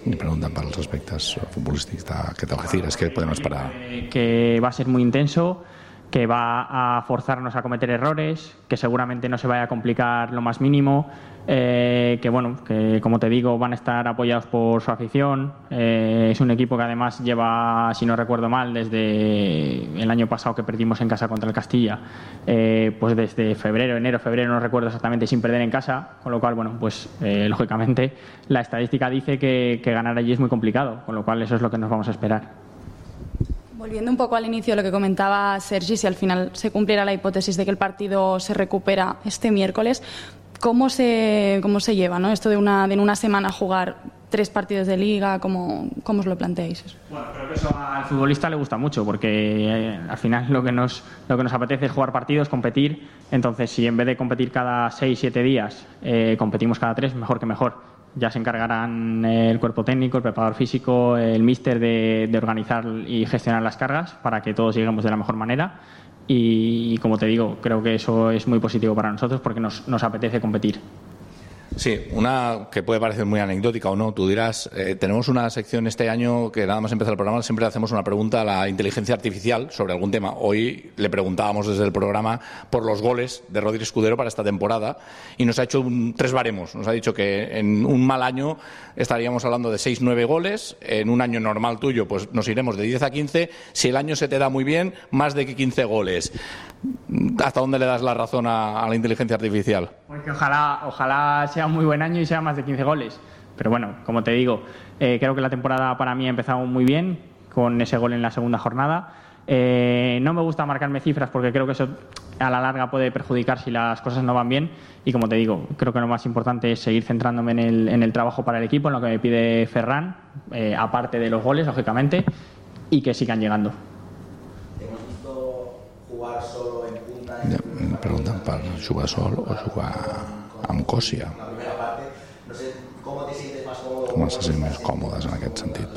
Me preguntan para los aspectos futbolísticos que te Algeciras, ¿qué podemos esperar? Que va a ser muy intenso, que va a forzarnos a cometer errores, que seguramente no se vaya a complicar lo más mínimo, eh, que bueno, que como te digo van a estar apoyados por su afición. Eh, es un equipo que además lleva, si no recuerdo mal, desde el año pasado que perdimos en casa contra el Castilla, eh, pues desde febrero, enero, febrero, no recuerdo exactamente, sin perder en casa, con lo cual, bueno, pues eh, lógicamente la estadística dice que, que ganar allí es muy complicado, con lo cual eso es lo que nos vamos a esperar. Volviendo un poco al inicio de lo que comentaba Sergi, si al final se cumpliera la hipótesis de que el partido se recupera este miércoles, ¿cómo se, cómo se lleva, ¿no? Esto de una, de en una semana jugar tres partidos de liga, ¿cómo, cómo os lo planteáis? Bueno, creo que eso al futbolista le gusta mucho porque eh, al final lo que, nos, lo que nos apetece es jugar partidos, competir. Entonces, si en vez de competir cada seis, siete días, eh, competimos cada tres, mejor que mejor. Ya se encargarán el cuerpo técnico, el preparador físico, el míster de, de organizar y gestionar las cargas para que todos lleguemos de la mejor manera y, y como te digo, creo que eso es muy positivo para nosotros porque nos, nos apetece competir. Sí, una que puede parecer muy anecdótica o no, tú dirás, eh, tenemos una sección este año que nada más empezar el programa siempre hacemos una pregunta a la inteligencia artificial sobre algún tema. Hoy le preguntábamos desde el programa por los goles de Rodri Escudero para esta temporada y nos ha hecho un, tres baremos. Nos ha dicho que en un mal año estaríamos hablando de seis nueve goles, en un año normal tuyo pues nos iremos de diez a quince, si el año se te da muy bien, más de quince goles. ¿Hasta dónde le das la razón a, a la inteligencia artificial? Porque ojalá, ojalá sea un muy buen año y sea más de quince goles. Pero bueno, como te digo, eh, creo que la temporada para mí ha empezado muy bien con ese gol en la segunda jornada. Eh, no me gusta marcarme cifras porque creo que eso a la larga puede perjudicar si las cosas no van bien. Y como te digo, creo que lo más importante es seguir centrándome en el, en el trabajo para el equipo, en lo que me pide Ferran, eh, aparte de los goles, lógicamente, y que sigan llegando. Hemos visto jugar solo en punta. Ja, em pregunten per jugar sol o jugar amb Còssia. La primera parte, no sé, ¿cómo te sientes más cómodo? Com se sent més còmodes en aquest sentit?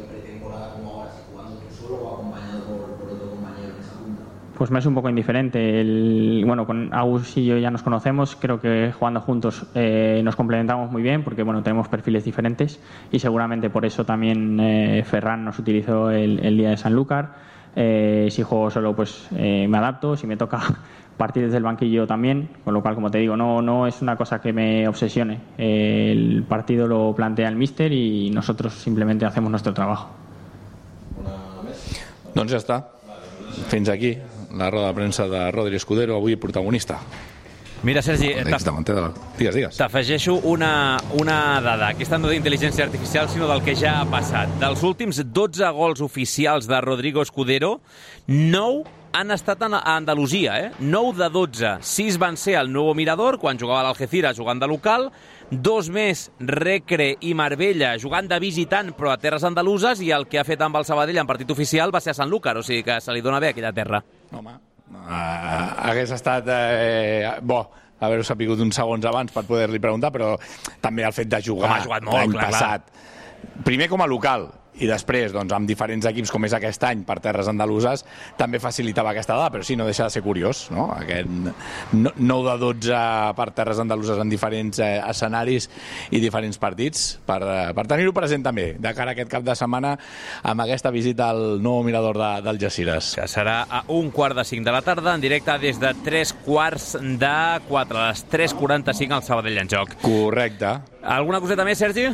Pues me es un poco indiferente. El, bueno, con Agus y yo ya nos conocemos, creo que jugando juntos eh, nos complementamos muy bien porque bueno, tenemos perfiles diferentes y seguramente por eso también eh, Ferran nos utilizó el, el día de Sanlúcar. Eh, si juego solo pues eh, me adapto, si me toca partir desde el banquillo también, con lo cual como te digo, no, no es una cosa que me obsesione. Eh, el partido lo plantea el míster y nosotros simplemente hacemos nuestro trabajo. Doncs ja està. Fins aquí la roda de premsa de Rodri Escudero, avui protagonista. Mira, Sergi, digues, digues. T'afegeixo una, una dada. Aquesta no d'intel·ligència artificial, sinó del que ja ha passat. Dels últims dotze gols oficials de Rodrigo Escudero, nou han estat a Andalusia, eh? nou de dotze. sis van ser al Nuevo Mirador, quan jugava a l'Algeciras jugant de local, dos més Recre i Marbella jugant de visitant però a terres andaluses, i el que ha fet amb el Sabadell en partit oficial va ser a Sanlúcar, o sigui que se li dona bé aquella terra. Home, uh, hagués estat eh, bo haver-ho sapigut uns segons abans per poder-li preguntar, però també el fet de jugar l'any passat. Primer com a local, i després, doncs, amb diferents equips com és aquest any per terres andaluses, també facilitava aquesta dada, però sí, no deixa de ser curiós, no? Aquest nou de dotze per terres andaluses en diferents eh, escenaris i diferents partits, per, per tenir-ho present també, de cara a aquest cap de setmana amb aquesta visita al nou mirador de, del Algeciras. Que serà a un quart de cinc de la tarda, en directe des de tres quarts de quatre, a les tres quaranta-cinc al Sabadell en joc. Correcte. Alguna coseta més, Sergi?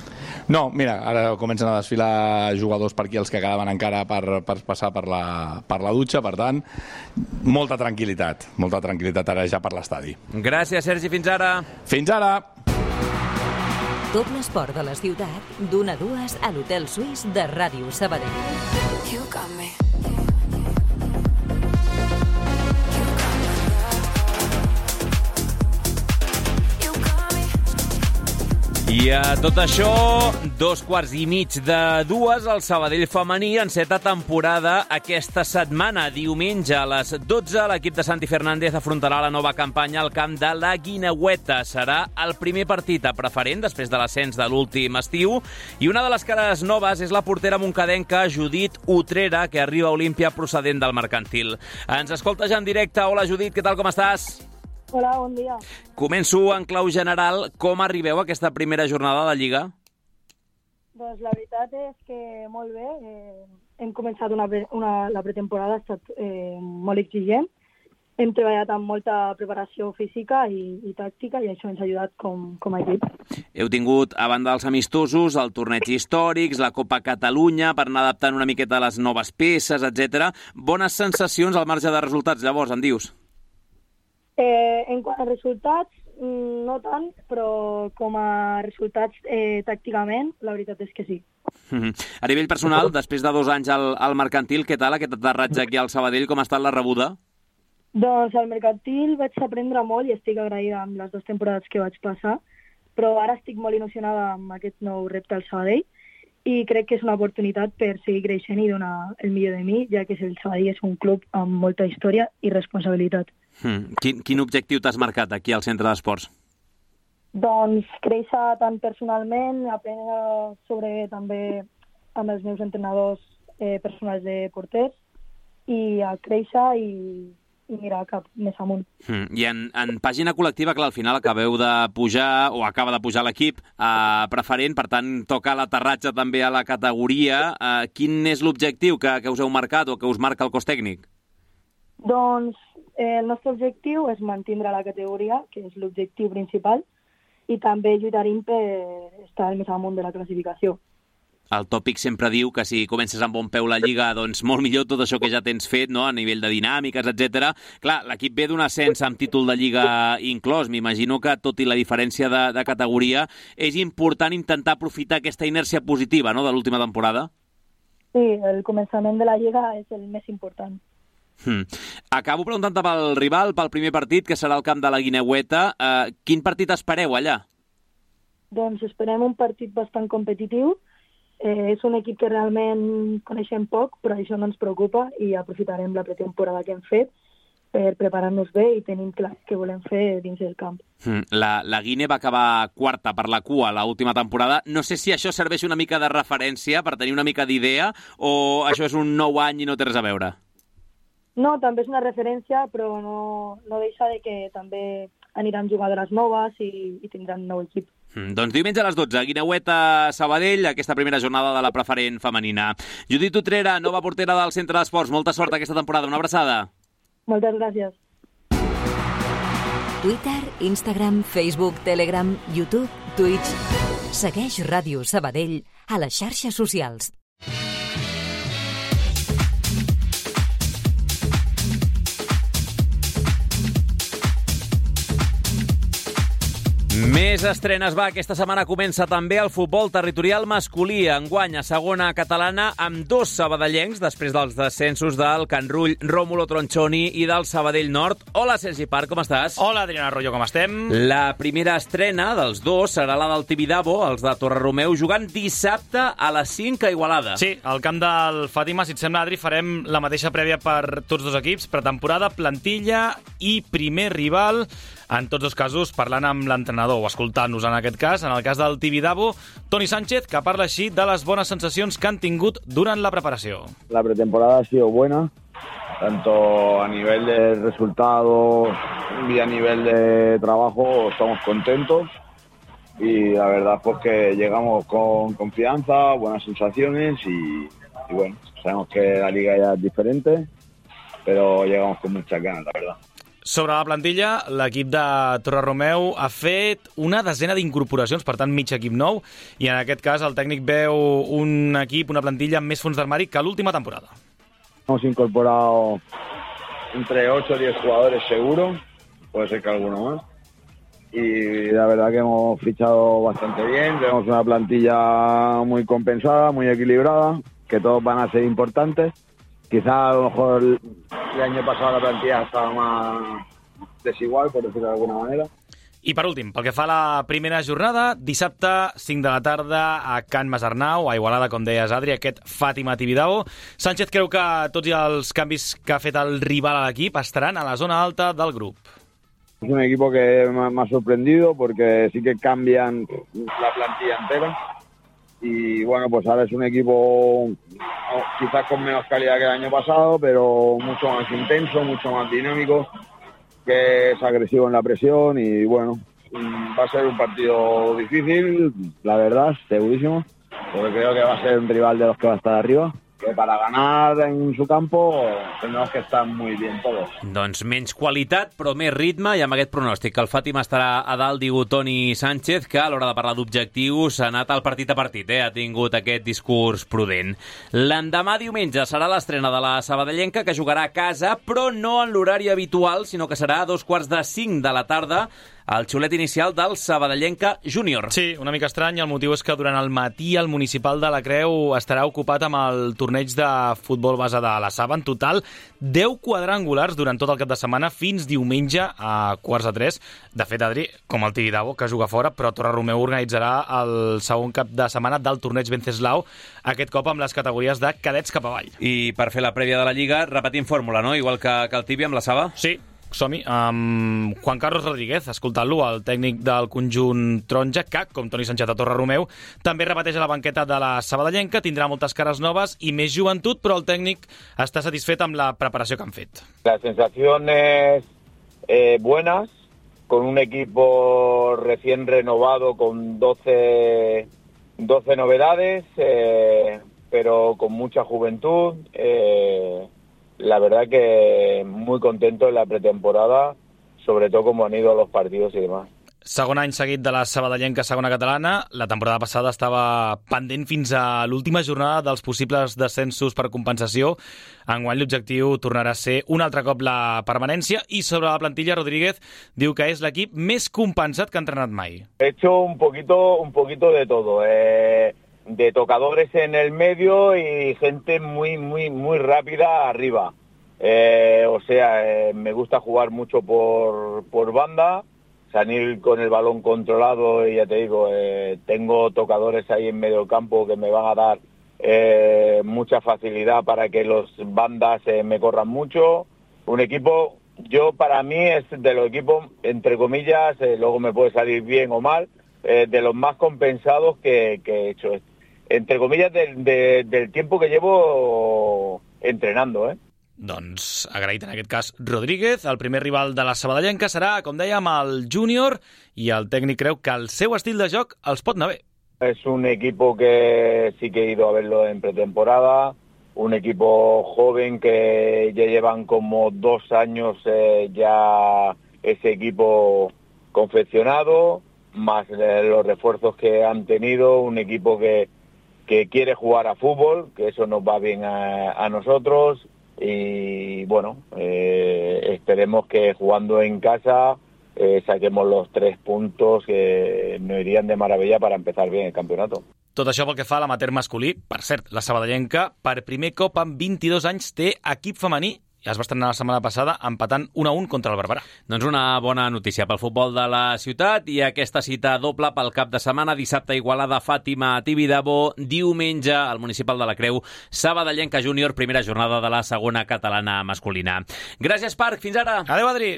No, mira, ara comencen a desfilar jugadors per aquí, els que quedaven encara per, per passar per la, per la dutxa, per tant, molta tranquil·litat, molta tranquil·litat ara ja per l'estadi. Gràcies, Sergi, fins ara. Fins ara! Tot l'esport de la ciutat, d'una a dues a l'Hotel Suís de Ràdio Sabadell. You got me. I a tot això, dos quarts i mig de dues, el Sabadell femení enceta temporada aquesta setmana. Diumenge a les dotze, l'equip de Santi Fernández afrontarà la nova campanya al camp de la Guineueta. Serà el primer partit a preferent després de l'ascens de l'últim estiu. I una de les cares noves és la portera moncadenca Judit Utrera, que arriba a Olímpia procedent del Mercantil. Ens escolta ja en directe. Hola, Judit, què tal, com estàs? Hola, bon dia. Començo en clau general. Com arribeu a aquesta primera jornada de Lliga? Doncs la veritat és que molt bé. Eh, hem començat una, una, la pretemporada, ha estat eh, molt exigent. Hem treballat amb molta preparació física i, i tàctica i això ens ha ajudat com, com a equip. Heu tingut, a banda dels amistosos, el torneig històrics, la Copa Catalunya, per anar adaptant una miqueta a les noves peces, etcètera. Bones sensacions al marge de resultats, llavors, en dius? Eh, en quant a resultats, no tant, però com a resultats eh, tàcticament, la veritat és que sí. Mm-hmm. A nivell personal, després de dos anys al, al Mercantil, què tal aquest aterratge aquí al Sabadell? Com ha estat la rebuda? Doncs al Mercantil vaig aprendre molt i estic agraïda amb les dues temporades que vaig passar, però ara estic molt il·lusionada amb aquest nou repte al Sabadell i crec que és una oportunitat per seguir creixent i donar el millor de mi, ja que el Sabadell és un club amb molta història i responsabilitat. Hmm. Quin, quin objectiu t'has marcat aquí al Centre d'Esports? Doncs créixer tant personalment, aprendre sobre també amb els meus entrenadors eh, personals de porters i a créixer i, i mirar cap més amunt. Hmm. I en, en pàgina col·lectiva, clar, al final acabeu de pujar, o acaba de pujar l'equip a preferent, per tant toca l'aterratge també a la categoria. Eh, quin és l'objectiu que, que us heu marcat o que us marca el cos tècnic? Doncs eh, el nostre objectiu és mantindre la categoria, que és l'objectiu principal, i també lluitarem per estar més amunt de la classificació. El tòpic sempre diu que si comences amb bon peu la Lliga, doncs molt millor tot això que ja tens fet, no?, a nivell de dinàmiques, etcètera. Clar, l'equip ve d'un ascens amb títol de Lliga inclòs. M'imagino que, tot i la diferència de, de categoria, és important intentar aprofitar aquesta inèrcia positiva, no?, de l'última temporada. Sí, el començament de la Lliga és el més important. Hmm. Acabo preguntant-te pel rival, pel primer partit, que serà el camp de la Guineueta. Uh, quin partit espereu allà? Doncs esperem un partit bastant competitiu. Eh, és un equip que realment coneixem poc, però això no ens preocupa i aprofitarem la pretemporada que hem fet per preparar-nos bé i tenim clar què volem fer dins del camp. Hmm. La, la Guine va acabar quarta per la cua l'última temporada. No sé si això serveix una mica de referència per tenir una mica d'idea o això és un nou any i no té res a veure? No, també és una referència, però no, no deixa de que també aniran jugadores noves i, i tindran nou equip. Mm, doncs diumenge a les dotze, Guineueta Sabadell, aquesta primera jornada de la preferent femenina. Judit Utrera, nova portera del Centre d'Esports. Molta sort aquesta temporada. Una abraçada. Moltes gràcies. Twitter, Instagram, Facebook, Telegram, YouTube, Twitch. Segueix Ràdio Sabadell a les xarxes socials. Més estrenes, va. Aquesta setmana comença també el futbol territorial masculí. Enguany a segona catalana amb dos sabadellencs després dels descensos del Can Rull, Rómulo Tronchoni i del Sabadell Nord. Hola, Sergi Parc, com estàs? Hola, Adriana Arroyo, com estem? La primera estrena dels dos serà la del Tibidabo, els de Torreromeu, jugant dissabte a les cinc a Igualada. Sí, al camp del Fàtima, si et sembla, Adri, farem la mateixa prèvia per tots dos equips, pretemporada, plantilla i primer rival. En tots dos casos, parlant amb l'entrenador l'entrenador, o escoltant-nos en aquest cas, en el cas del Tibidabo, Toni Sánchez, que parla així de les bones sensacions que han tingut durant la preparació. La pretemporada ha sido buena, tanto a nivel de resultados y a nivel de trabajo estamos contentos y la verdad pues que llegamos con confianza, buenas sensaciones y, y bueno, sabemos que la liga ya es diferente, pero llegamos con muchas ganas, la verdad. Sobre la plantilla, l'equip de Torreromeu ha fet una desena d'incorporacions, per tant, mig equip nou, i en aquest cas el tècnic veu un equip, una plantilla amb més fons d'armari que l'última temporada. Hemos incorporado entre ocho o diez jugadores seguro, puede ser que alguno más, y la verdad que hemos fichado bastante bien, tenemos una plantilla muy compensada, muy equilibrada, que todos van a ser importantes. Quizá a lo mejor el año pasado la plantilla estaba más desigual, por decirlo de alguna manera. I per últim, pel que fa a la primera jornada, dissabte, cinc de la tarda, a Can Masarnau, a Igualada, com deies, Adri, aquest Fàtima Tibidabo. Sánchez creu que tots els canvis que ha fet el rival a l'equip estaran a la zona alta del grup. Es un equipo que me ha sorprendido porque sí que cambian la plantilla entera. Y bueno, pues ahora es un equipo quizás con menos calidad que el año pasado, pero mucho más intenso, mucho más dinámico, que es agresivo en la presión y bueno, va a ser un partido difícil, la verdad, segurísimo, porque creo que va a ser un rival de los que va a estar arriba, que para ganar en su campo tenemos que estar muy bien todos. Doncs menys qualitat, però més ritme, i amb aquest pronòstic que el Fàtima estarà a dalt, diu Toni Sánchez, que a l'hora de parlar d'objectius ha anat al partit a partit, eh? Ha tingut aquest discurs prudent. L'endemà diumenge serà l'estrena de la sabadellenca, que jugarà a casa, però no en l'horari habitual, sinó que serà a dos quarts de cinc de la tarda, el xulet inicial del Sabadellenca Júnior. Sí, una mica estrany. El motiu és que durant el matí el municipal de la Creu estarà ocupat amb el torneig de futbol base de la Saba. En total, deu quadrangulars durant tot el cap de setmana fins diumenge a quarts de tres. De fet, Adri, com el Tibidabo, que juga fora, però Torreromeu organitzarà el segon cap de setmana del torneig Venceslau, aquest cop amb les categories de cadets cap avall. I per fer la prèvia de la Lliga, repetim fórmula, no? Igual que, que el Tibi amb la Saba? Sí. Som-hi, amb Juan Carlos Rodríguez, escoltant-lo, el tècnic del conjunt taronja, que, com Toni Sánchez a Torreromeu, també repeteix a la banqueta de la sabadellenca, tindrà moltes cares noves i més joventut, però el tècnic està satisfet amb la preparació que han fet. Las sensaciones eh, buenas, con un equipo recién renovado con doce, doce novedades, eh, pero con mucha juventud. Eh, La verdad que muy contento en la pretemporada, sobre todo como han ido los partidos y demás. Segon any seguit de la sabadellenca segona catalana. La temporada passada estava pendent fins a l'última jornada dels possibles descensos per compensació. Enguany l'objectiu tornarà a ser un altre cop la permanència, i sobre la plantilla Rodríguez diu que és l'equip més compensat que ha entrenat mai. He hecho un poquito, un poquito de todo, eh... de tocadores en el medio y gente muy, muy, muy rápida arriba. Eh, o sea, eh, me gusta jugar mucho por, por banda, salir con el balón controlado y ya te digo, eh, tengo tocadores ahí en medio campo que me van a dar eh, mucha facilidad para que los bandas eh, me corran mucho. Un equipo, yo para mí es de los equipos, entre comillas, eh, luego me puede salir bien o mal, eh, de los más compensados que, que he hecho. Entre comillas, del, de, del tiempo que llevo entrenando, eh? Doncs agraït en aquest cas Rodríguez. El primer rival de la sabadellenca serà, com dèiem, el júnior, i el tècnic creu que el seu estil de joc els pot anar bé. Es un equipo que sí que he ido a verlo en pretemporada, un equipo joven que ya llevan como dos años eh, ya ese equipo confeccionado, más eh, los refuerzos que han tenido, un equipo que que quiere jugar a fútbol, que eso nos va bien a, a nosotros, y bueno, eh, esperemos que jugando en casa eh, saquemos los tres puntos que nos irían de maravilla para empezar bien el campeonato. Tot això pel que fa a l'amateur masculí. Per cert, la sabadellenca, per primer cop en vint-i-dos anys, té equip femení. Ja es va estrenar la setmana passada empatant un a un contra el Barberà. Doncs una bona notícia pel futbol de la ciutat, i aquesta cita doble pel cap de setmana. Dissabte Igualada, Fàtima, Tibidabo. Diumenge al Municipal de la Creu, Sabadellenca Júnior, primera jornada de la segona catalana masculina. Gràcies, Parc. Fins ara. Adéu, Adri.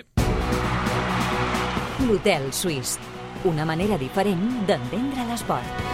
L'Hotel Suís. una manera diferent d'entendre l'esport.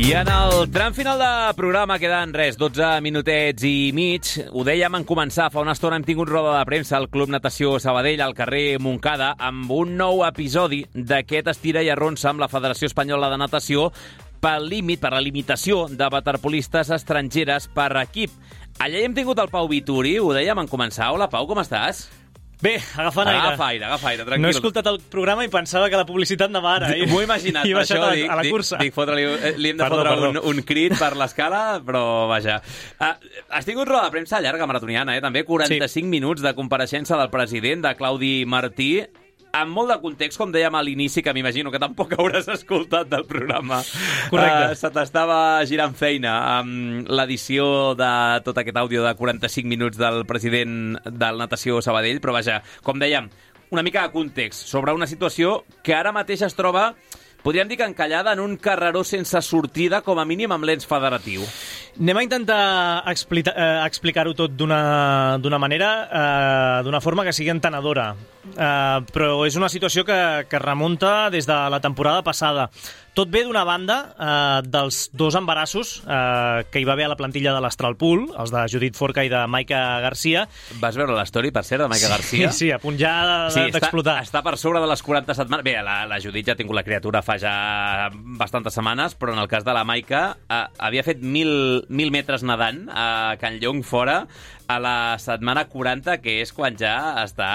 I en el tram final de programa queden res, dotze minutets i mig. Ho dèiem en començar, fa una estona hem tingut roda de premsa al Club Natació Sabadell, al carrer Montcada, amb un nou episodi d'aquest estira i arronsa amb la Federació Espanyola de Natació pel límit, per la limitació de waterpolistes estrangeres per equip. Allà hi hem tingut el Pau Vituri, ho dèiem en començar. Hola, Pau, com estàs? Bé, agafant aire. Agafa aire, agafa aire, tranquil. No he escoltat el programa i pensava que la publicitat anava ara. M'ho he imaginat, I per això, això dic, a la dic, cursa. dic fotre-li, li hem de perdó, fotre perdó. un, un crit per l'escala, però vaja. Uh, has tingut roda de premsa llarga, maratoniana, eh? També quaranta-cinc sí. minuts de compareixença del president, de Claudi Martí, amb molt de context, com dèiem a l'inici, que m'imagino que tampoc hauràs escoltat del programa. Correcte. Uh, se t'estava girant feina amb l'edició de tot aquest àudio de quaranta-cinc minuts del president del Natació Sabadell, però vaja, com dèiem, una mica de context sobre una situació que ara mateix es troba, podríem dir que encallada en un carreró sense sortida, com a mínim amb l'ens federatiu. Anem a intentar explica, eh, explicar-ho tot d'una d'una manera, eh, d'una forma que sigui entenedora. Eh, però és una situació que, que remunta des de la temporada passada. Tot ve d'una banda eh, dels dos embarassos eh, que hi va haver a la plantilla de l'Astralpool, els de Judit Forca i de Maica Garcia. Vas veure l'story, per cert, de Maica Garcia? Sí, sí, a punt ja sí, d'explotar. Està, està per sobre de les quaranta setmanes. Bé, la, la Judit ja ha tingut la criatura fa ja bastantes setmanes, però en el cas de la Maica eh, havia fet mil, mil metres nedant a Can Llong fora a la setmana quaranta, que és quan ja està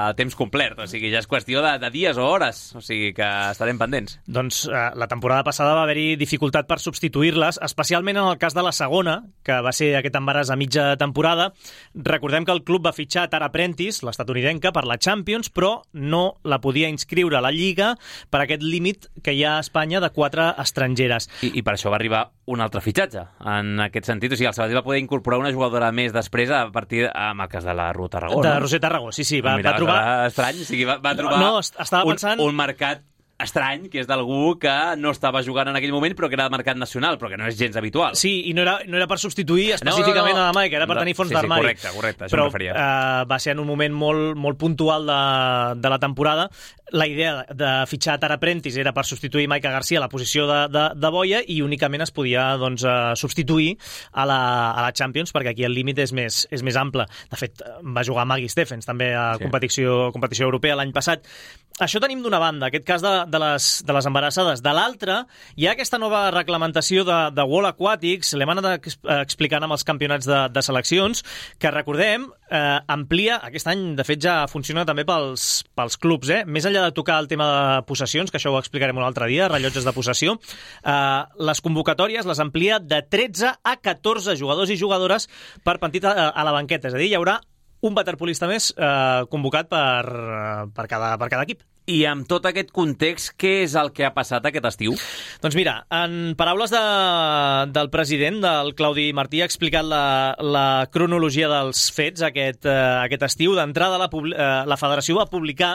a temps complet. O sigui, ja és qüestió de, de dies o hores. O sigui que estarem pendents. Doncs eh, la temporada passada va haver-hi dificultat per substituir-les, especialment en el cas de la segona, que va ser aquest embaràs a mitja temporada. Recordem que el club va fitxar Tara Prentice, l'estatunidenca, per la Champions, però no la podia inscriure a la Lliga per aquest límit que hi ha a Espanya de quatre estrangeres. I, i per això va arribar un altre fitxatge, en aquest sentit. O sigui, el Sabadell va poder incorporar una jugadora més després a partir amb el cas de la Ru Tarragó. De no? Roser Tarragó, sí, sí. Va, Mira, va trobar... estrany, o sigui, va, va trobar no, estava un, pensant... un mercat estrany, que és d'algú que no estava jugant en aquell moment, però que era de mercat nacional, però que no és gens habitual. Sí, i no era, no era per substituir específicament no, no, no. a la Maica, era per tenir fons sí, sí, d'armari. Correcte, correcte, això però, em referia. Uh, va ser en un moment molt, molt puntual de, de la temporada. La idea de fitxar Tara Prentice era per substituir Maica Garcia a la posició de, de, de boia i únicament es podia doncs, uh, substituir a la, a la Champions, perquè aquí el límit és més, és més ample. De fet, va jugar Maggie Stephens també a sí. competició, competició europea l'any passat. Això tenim d'una banda, aquest cas de, de, les, de les embarassades. De l'altra, hi ha aquesta nova reglamentació de, de World Aquatics, l'hem anat explicant amb els campionats de, de seleccions, que recordem, eh, amplia, aquest any de fet ja funciona també pels, pels clubs, eh? Més enllà de tocar el tema de possessions, que això ho explicarem un altre dia, rellotges de possessió, eh, les convocatòries les amplia de tretze a catorze jugadors i jugadores per partit a, a la banqueta, és a dir, hi haurà un waterpolista més eh, convocat per, per, cada, per cada equip. I amb tot aquest context, què és el que ha passat aquest estiu? Doncs mira, en paraules de, del president, del Claudi Martí, ha explicat la, la cronologia dels fets aquest, eh, aquest estiu. D'entrada, la, eh, la federació va publicar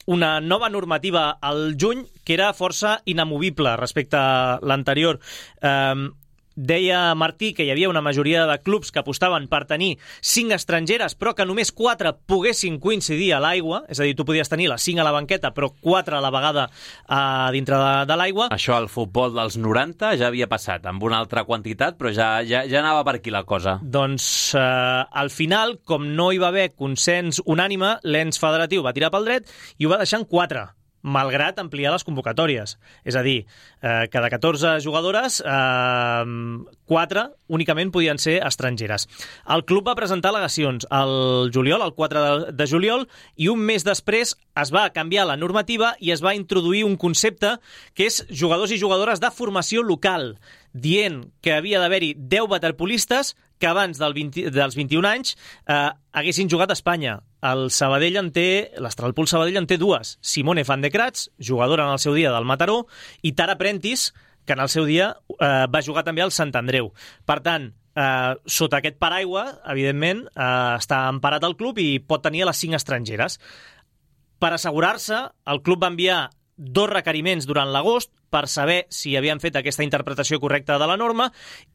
una nova normativa al juny que era força inamovible respecte a l'anterior. Eh, Deia Martí que hi havia una majoria de clubs que apostaven per tenir cinc estrangeres, però que només quatre poguessin coincidir a l'aigua, és a dir, tu podies tenir les cinc a la banqueta, però quatre a la vegada a dintre de, de l'aigua. Això al futbol dels noranta ja havia passat, amb una altra quantitat, però ja, ja, ja anava per aquí la cosa. Doncs eh, al final, com no hi va haver consens unànime, l'ens federatiu va tirar pel dret i ho va deixar en quatre, malgrat ampliar les convocatòries. És a dir, eh, cada catorze jugadores, eh, quatre únicament podien ser estrangeres. El club va presentar al·legacions al juliol, el quatre de, de juliol, i un mes després es va canviar la normativa i es va introduir un concepte que és jugadors i jugadores de formació local, dient que havia d'haver-hi deu waterpolistes que abans del vint, dels vint-i-un anys eh, haguessin jugat a Espanya. El Sabadell en té, l'Astralpool Sabadell en té dues. Simone Van de Kratz, jugadora en el seu dia del Mataró, i Tara Prentice, que en el seu dia eh, va jugar també al Sant Andreu. Per tant, eh, sota aquest paraigua, evidentment, eh, està emparat el club i pot tenir a les cinc estrangeres. Per assegurar-se, el club va enviar dos requeriments durant l'agost per saber si havien fet aquesta interpretació correcta de la norma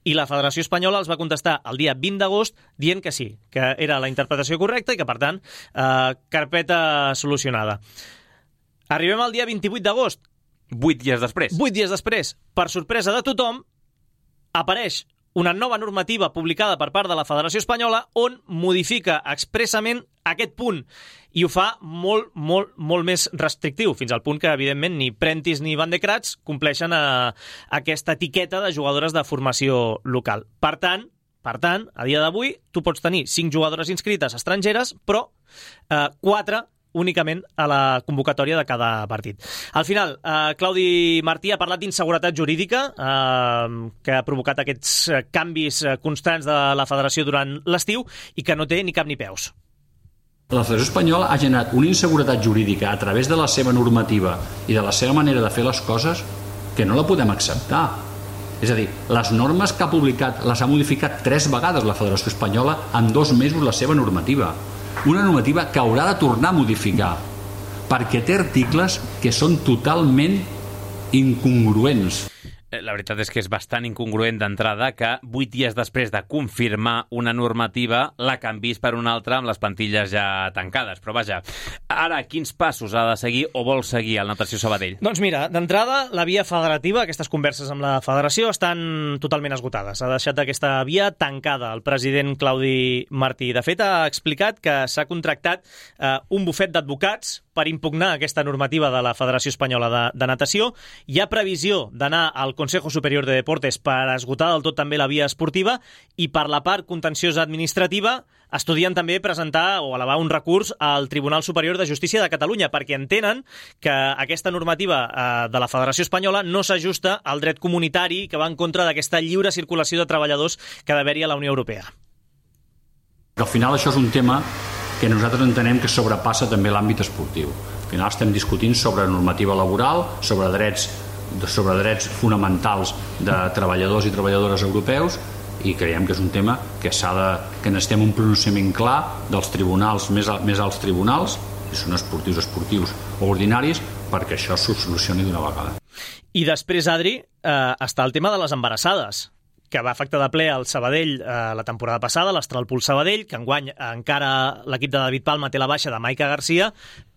i la Federació Espanyola els va contestar el dia vint d'agost dient que sí, que era la interpretació correcta i que, per tant, eh, carpeta solucionada. Arribem al dia vint-i-vuit d'agost. Vuit dies després. Vuit dies després. Per sorpresa de tothom, apareix una nova normativa publicada per part de la Federació Espanyola on modifica expressament aquest punt i ho fa molt, molt, molt més restrictiu, fins al punt que, evidentment, ni Prentice ni Van de Kratz compleixen a, a aquesta etiqueta de jugadores de formació local. Per tant, per tant, a dia d'avui, tu pots tenir cinc jugadores inscrites estrangeres, però eh, quatre únicament a la convocatòria de cada partit. Al final, eh, Claudi Martí ha parlat d'inseguretat jurídica eh, que ha provocat aquests canvis constants de la federació durant l'estiu i que no té ni cap ni peus. La Federació Espanyola ha generat una inseguretat jurídica a través de la seva normativa i de la seva manera de fer les coses que no la podem acceptar. És a dir, les normes que ha publicat les ha modificat tres vegades la Federació Espanyola en dos mesos la seva normativa. Una normativa que haurà de tornar a modificar perquè té articles que són totalment incongruents. La veritat és que és bastant incongruent d'entrada que vuit dies després de confirmar una normativa la canvis per una altra amb les plantilles ja tancades. Però vaja, ara quins passos ha de seguir o vol seguir el Natació Sabadell? Doncs mira, d'entrada, la via federativa, aquestes converses amb la federació estan totalment esgotades. Ha deixat aquesta via tancada el president Claudi Martí. De fet, ha explicat que s'ha contractat eh, un bufet d'advocats per impugnar aquesta normativa de la Federació Espanyola de, de Natació. Hi ha previsió d'anar al Consejo Superior de Deportes per esgotar del tot també la via esportiva i per la part contenciosa administrativa estudien també presentar o elevar un recurs al Tribunal Superior de Justícia de Catalunya perquè entenen que aquesta normativa eh, de la Federació Espanyola no s'ajusta al dret comunitari que va en contra d'aquesta lliure circulació de treballadors que ha d'haver-hi a la Unió Europea. Al final això és un tema que nosaltres entenem que sobrepassa també l'àmbit esportiu. Al final estem discutint sobre normativa laboral, sobre drets, sobre drets fonamentals de treballadors i treballadores europeus i creiem que és un tema que s'ha de, que necessitem un pronunciament clar dels tribunals, més, més alts tribunals, si són esportius, esportius o ordinaris, perquè això s'ho solucioni d'una vegada. I després, Adri, eh, està el tema de les embarassades, que va afectar de ple al Sabadell eh, la temporada passada, l'Astralpool Sabadell, que enguany encara l'equip de David Palma té la baixa de Maica Garcia,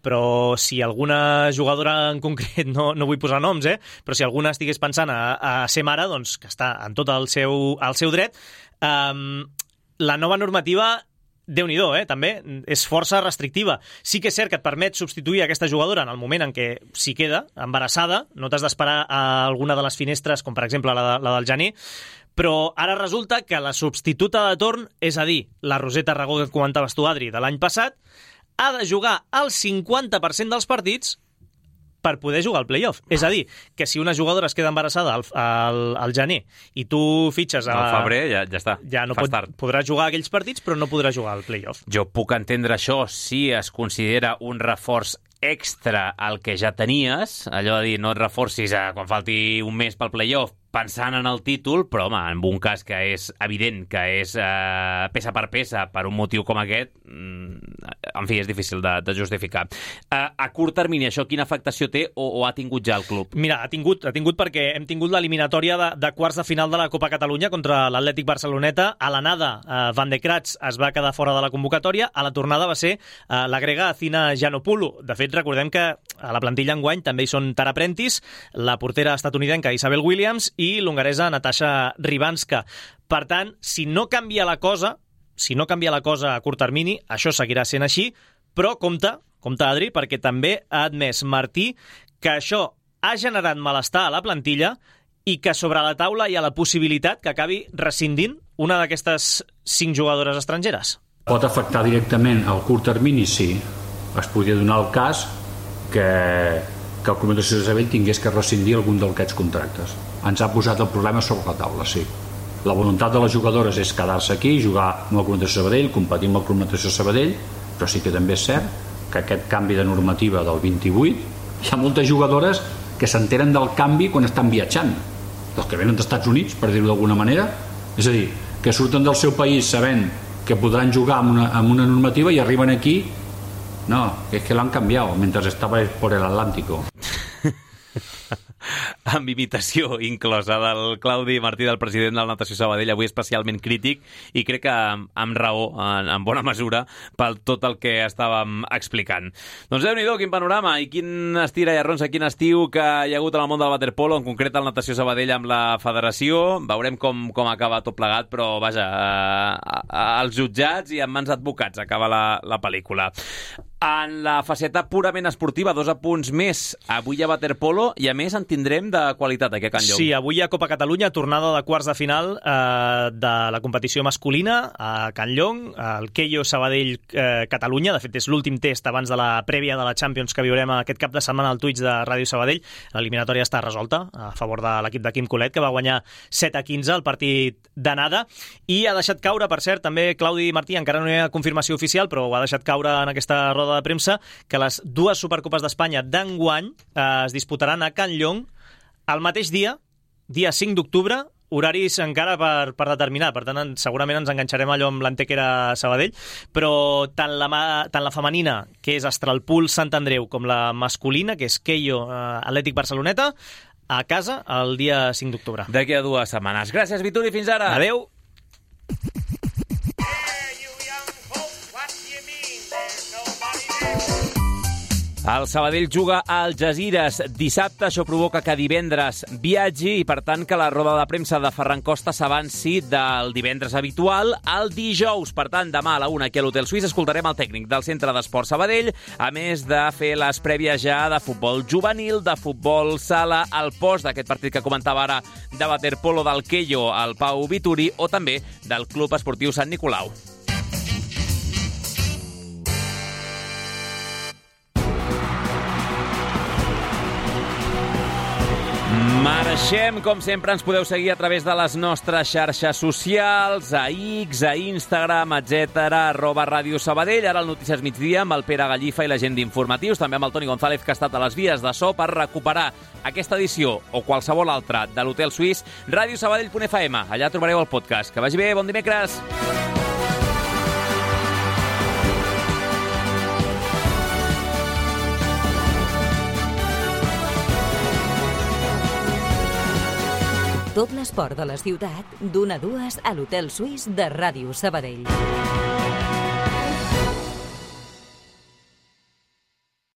però si alguna jugadora en concret, no, no vull posar noms, eh, però si alguna estigués pensant a, a ser mare, doncs que està en tot el seu, el seu dret. Um, la nova normativa, Déu-n'hi-do, eh, també, és força restrictiva. Sí que és cert que et permet substituir aquesta jugadora en el moment en què s'hi queda, embarassada, no t'has d'esperar a alguna de les finestres, com per exemple la, de, la del gener, però ara resulta que la substituta de torn, és a dir, la Roseta Ragó que comentaves tu, Adri, de l'any passat, ha de jugar el cinquanta per cent dels partits per poder jugar al play-off. És a dir, que si una jugadora es queda embarassada al, al, al gener i tu fitxes a... Al febrer ja, ja està. Ja no pot, podrà jugar aquells partits, però no podrà jugar al play-off. Jo puc entendre això si es considera un reforç extra al que ja tenies, allò de dir, no et reforcis a quan falti un mes pel play-off pensant en el títol, però home, en un cas que és evident que és eh, peça per peça per un motiu com aquest, en fi, és difícil de, de justificar. Eh, a curt termini, això quina afectació té o, o ha tingut ja el club? Mira, ha tingut, ha tingut perquè hem tingut l'eliminatòria de, de quarts de final de la Copa Catalunya contra l'Atlètic Barceloneta. A l'anada, eh, Van de Kratz es va quedar fora de la convocatòria, a la tornada va ser eh, la grega Athina Giannopoulou. De fet, recordem que a la plantilla enguany també hi són Tara Prentice, la portera estatunidenca Isabel Williams i l'hongaresa Natasha Ribanska. Per tant, si no canvia la cosa, si no canvia la cosa a curt termini, això seguirà sent així, però compte, compte Adri, perquè també ha admès Martí que això ha generat malestar a la plantilla i que sobre la taula hi ha la possibilitat que acabi rescindint una d'aquestes cinc jugadores estrangeres. Pot afectar directament al curt termini, sí. Es podria donar el cas que, que el Club Natació Sabadell tingués que rescindir algun d'aquests contractes. Ens ha posat el problema sobre la taula, sí. La voluntat de les jugadores és quedar-se aquí, jugar amb el Club Natació Sabadell, competir amb el Club Natació Sabadell, però sí que també és cert que aquest canvi de normativa del vint-i-vuit, hi ha moltes jugadores que s'enteren del canvi quan estan viatjant, dels que venen dels Estats Units, per dir-ho d'alguna manera. És a dir, que surten del seu país sabent que podran jugar amb una, amb una normativa i arriben aquí, no, és que l'han canviat mentre estava por el Atlántico. Amb imitació inclosa del Claudi Martí, del president del Natació Sabadell, avui especialment crític, i crec que amb raó, en, en bona mesura, pel tot el que estàvem explicant. Doncs Déu-n'hi-do, quin panorama i quin estira i arronsa, quin estiu que hi ha hagut en el món del waterpolo, en concret el Natació Sabadell amb la federació. Veurem com, com acaba tot plegat, però vaja, eh, als jutjats i en mans d'advocats acaba la, la pel·lícula. En la faceta purament esportiva, dos apunts més. Avui hi ha waterpolo i, a més, en tindrem de qualitat aquí a Can Llong. Sí, avui hi ha Copa Catalunya, tornada de quarts de final eh, de la competició masculina a Can Llong, el Keio Sabadell-Catalunya. Eh, de fet, és l'últim test abans de la prèvia de la Champions que viurem aquest cap de setmana al Twitch de Ràdio Sabadell. L'eliminatòria està resolta a favor de l'equip de Quim Colet, que va guanyar set a quinze el partit d'anada, i ha deixat caure, per cert, també Claudi Martí, encara no hi ha confirmació oficial, però ho ha deixat caure en aquesta roda de premsa, que les dues Supercopes d'Espanya d'enguany eh, es disputaran a Can Llong el mateix dia, dia cinc d'octubre, horaris encara per, per determinar, per tant segurament ens enganxarem allò amb l'Antequera Sabadell, però tant la, tant la femenina, que és Astralpool Sant Andreu, com la masculina, que és Keio eh, Atlètic Barceloneta, a casa el dia cinc d'octubre. D'aquí a dues setmanes. Gràcies, Vituri, fins ara. Adeu. El Sabadell juga a Algesires dissabte, això provoca que divendres viatgi i, per tant, que la roda de premsa de Ferran Costa s'avanci del divendres habitual al dijous. Per tant, demà a la una aquí a l'Hotel Suís escoltarem el tècnic del Centre d'Esport Sabadell, a més de fer les prèvies ja de futbol juvenil, de futbol sala, al post d'aquest partit que comentava ara de waterpolo del Keio, el Pau Vituri, o també del Club Esportiu Sant Nicolau. Marxem, com sempre, ens podeu seguir a través de les nostres xarxes socials, a X, a Instagram, etcètera, arroba Ràdio Sabadell, ara el Notícies Migdia amb el Pere Gallifa i la gent d'Informatius, també amb el Toni González, que ha estat a les vies de so per recuperar aquesta edició o qualsevol altra de l'Hotel Suís, radiosabadell punt f m. Allà trobareu el podcast. Que vagi bé, bon dimecres! Tot l'esport de la ciutat, d'una a dues a l'Hotel Suís de Ràdio Sabadell.